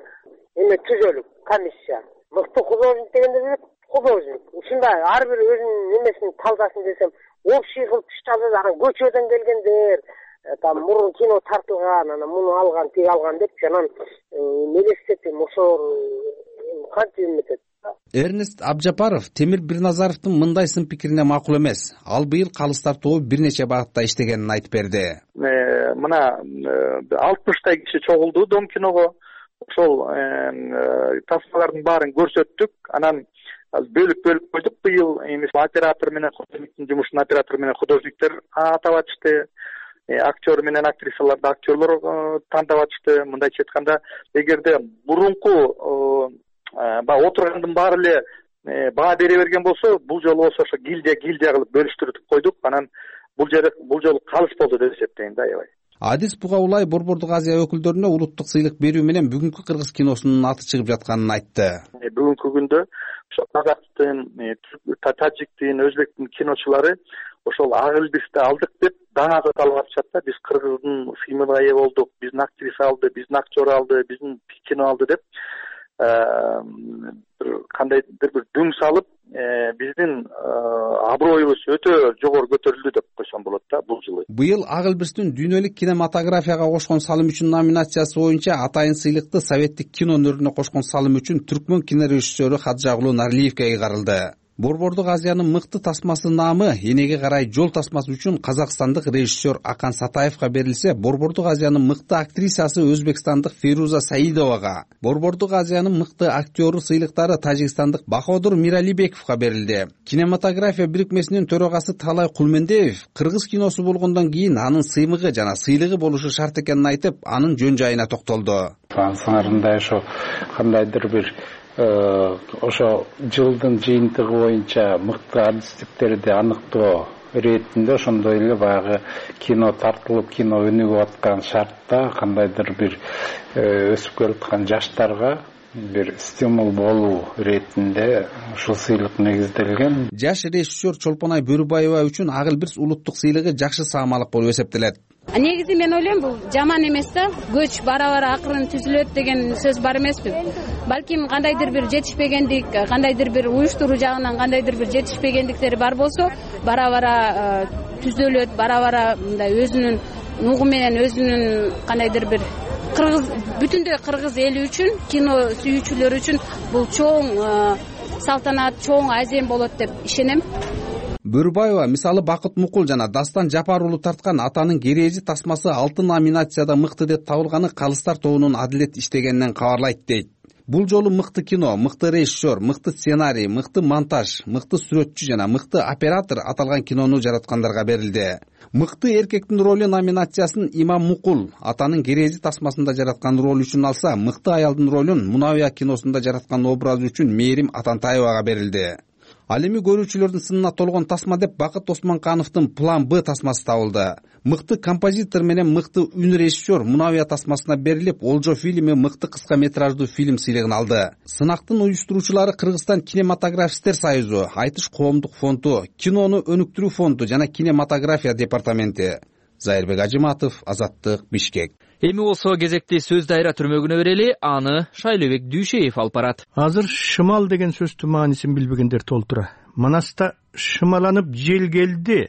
эме түзөлүк комиссия. Мыкты художник дегенде художник. Ушундай ар бир өзүнүн немесин талдасын десем, общий кылып түшталды. Анан көчөдөн келгендер, там мурун кино тартылган, анан муну алган, тиги алган деп анан мелестетим ошол кантип эметет. Эрнест Абжапаров Темир Бирназаровдун мындай сын пикирине макул эмес. Ал быйыл калыс тартуу бир нече багытта иштегенин айтып берди. Мына алтымыштай киши чогулду Дом киного. Ошол тасмалардын баарын көрсөттүк. Анан азыр бөлүп бөлүп койдук быйыл эми оператор менен художниктин жумушун оператор менен художниктер атап атышты, актер менен актрисаларды актерлор тандап атышты. Мындайча айтканда, эгерде мурунку баягы отургандын баары эле баа бере берген болсо, бул жолу болсо ошо гильдия гильдия кылып бөлүштүрүп койдук. Анан бул жер бул жолу калыс болду деп эсептейм да, аябай. Адис Бугаулай Борбордук Азия өкүлдөрүнө улуттук сыйлык берүү менен бүгүнкү кыргыз киносунун аты чыгып жатканын айтты. Бүгүнкү күндө ошо казактын, тажиктин, өзбектин киночулары ошол ак элбисти алдык деп даңа кылып атышат да. Биз кыргыздын фильмине ээ болдук, биздин актриса алды, биздин актер алды, биздин кино алды деп кандайдыр бир дүң салып, биздин аброюбуз өтө жогору көтөрүлдү деп койсом болот да бул жылы. Быйыл ак элбистин дүйнөлүк кинематографияга кошкон салым үчүн номинациясы боюнча атайын сыйлыкты советтик кино өнөрүнө кошкон салым үчүн түркмөн кинорежиссеру Хаджагулуу Нарлиевге кайрылды. Борбордук Азиянын мыкты тасмасы наамы энеге карай жол тасмасы үчүн казакстандык режиссер Акан Сатаевга берилсе, Борбордук Азиянын мыкты актрисасы өзбекстандык Фейруза Саидовага, Борбордук Азиянын мыкты актеру сыйлыктары тажикстандык Баходур Миралибековго берилди. Кинематография бирикмесинин төрагасы Талай Кулмендеев кыргыз киносу болгондон кийин анын сыймыгы жана сыйлыгы болушу шарт экенин айтып, анын жөн жайына токтолду. Ансыңарында ошо кандайдыр бир ошо жылдын жыйынтыгы боюнча мыкты адистиктерди аныктоо иретинде ошондой эле баягы кино тартылып кино өнүгүп аткан шартта кандайдыр бир өсүп келаткан жаштарга бир стимул болуу иретинде ушул сыйлык негизделген. Жаш режиссер Чолпонай Бөрүбаева үчүн ак элбис улуттук сыйлыгы жакшы саамалык болуп эсептелет. Негизи мен ойлойм, бул жаман эмес да. Көч бара-бара акырын түзүлөт деген сөз бар эмеспи? Балким кандайдыр бир жетишпегендик, кандайдыр бир уюштуруу жагынан кандайдыр бир жетишпегендиктери бар болсо, бара-бара түзөлөт, бара-бара мындай өзүнүн нугу менен өзүнүн кандайдыр бир кыргыз бүтүндөй кыргыз эли үчүн, кино сүйүүчүлөр үчүн бул чоң салтанат, чоң азем болот деп ишенем. Бөрүбаева мисалы Бакыт Мукул жана Дастан Жапар уулу тарткан Атанын кережи тасмасы алты номинацияда мыкты деп табылганы Калыстар тобунун адилет иштегенинен кабарлайт дейт. Бул жолу мыкты кино, мыкты режиссер, мыкты сценарий, мыкты монтаж, мыкты сүрөтчү жана мыкты оператор аталган кинону жараткандарга берилди. Мыкты эркектин ролу номинациясын Имам Мукул Атанын кережи тасмасында жараткан ролу үчүн алса, мыкты аялдын ролун Мунавия киносунда жараткан образы үчүн Мээрим Атантаевага берилди. Ал эми көрүүчүлөрдүн сынына толгон тасма деп Бакыт Осмонкановдун План Б тасмасы табылды. Мыкты композитор менен мыкты үн режиссер Мунавия тасмасына берилип, Олжо фильми мыкты кыска метраждуу фильм сыйлыгын алды. Сынактын уюштуруучулары Кыргызстан кинематографисттер союзу, Айтыш коомдук фонду, кинону өнүктүрүү фонду жана кинематография департаменти. Зайырбек Ажыматов, Азаттык, Бишкек. Эми болсо кезекти сөз дайра түрмөгүнө берели, аны Шайлообек Дүйшеев алып барат. Азыр шымал деген сөздүн маанисин билбегендер толтура. Манаста шымаланып жел келди,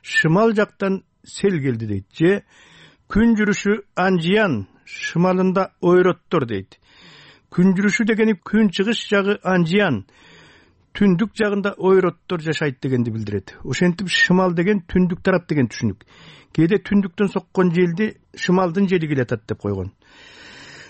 шымал жактан сел келди дейт. Же күн жүрүшү анжиян, шымалында ойроттор дейт. Күн жүрүшү дегени күн чыгыш жагы анжиян, түндүк жагында ойроттор жашайт дегенди билдирет. Ошентип шымал деген түндүк тарап деген түшүнүк. Кээде түндүктөн соккон желди шымалдын жели келатат деп койгон.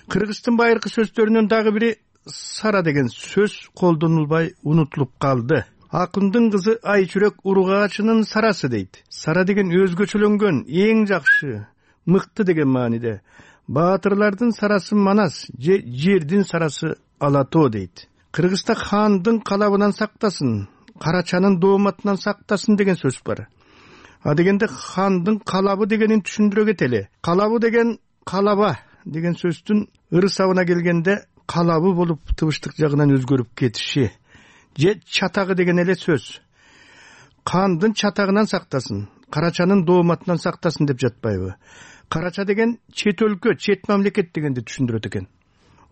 Кыргыздын байыркы сөздөрүнөн дагы бири сара деген сөз колдонулбай унутулуп калды. Акындын кызы Айчүрөк уругачынын сарасы дейт. Сара деген өзгөчөлөнгөн, эң жакшы, мыкты деген мааниде. Баатырлардын сарасы Манас, же жердин сарасы Алатоо дейт. Кыргызда хандын калабынан сактасын, карачанын дооматынан сактасын деген сөз бар. А дегенде хандын калабы дегенин түшүндүрө кетели. Калабы деген калаба деген сөздүн ырысабына келгенде калабы болуп тыбыштык жагынан өзгөрүп кетиши. Же чатагы деген эле сөз. Хандын чатагынан сактасын, карачанын дооматынан сактасын деп жатпайбы? Карача деген чет өлкө, чет мамлекет дегенди түшүндүрөт экен.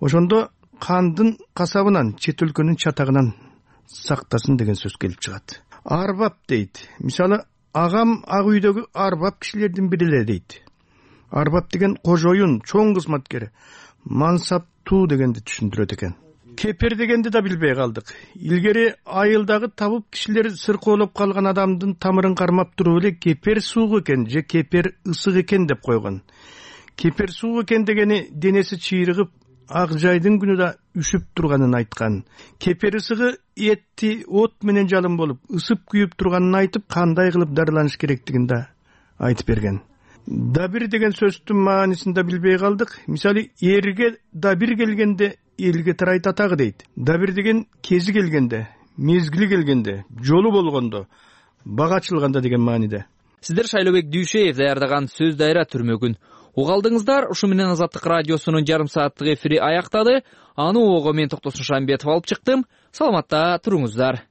Ошондо хандын касабынан, чет өлкөнүн чатагынан сактасын деген сөз келип чыгат. Арбап дейт. Мисалы, агам ак үйдөгү арбап кишилердин бири эле дейт. Арбап деген кожоюн, чоң кызматкер, мансаптуу дегенди түшүндүрөт экен. Кепер дегенди да билбей калдык. Илгери айылдагы табып кишилер сыркоолоп калган адамдын тамырын кармап туруп эле кепер суук экен же кепер ысык экен деп койгон. Кепер суук экен дегени денеси чыйрыгып, ак жайдын күнү да үшүп турганын айткан. Кепер ысыгы этти от менен жалын болуп ысып күйүп турганын айтып, кандай кылып дарыланыш керектигин да айтып берген. Да бир деген сөздүн маанисин да билбей калдык. Мисалы, эрге да бир келгенде элге тарайт атагы дейт. Да бир деген кези келгенде, мезгили келгенде, жолу болгондо, бага ачылганда деген мааниде. Сиздер Шайлообек Дүйшеев даярдаган сөз дайра түрмөгүн угалдыңыздар. Ушу менен Азаттык радиосунун жарым сааттык эфири аяктады. Аны ого мен Токтосун Шамбетов алып чыктым. Саламатта туруңуздар.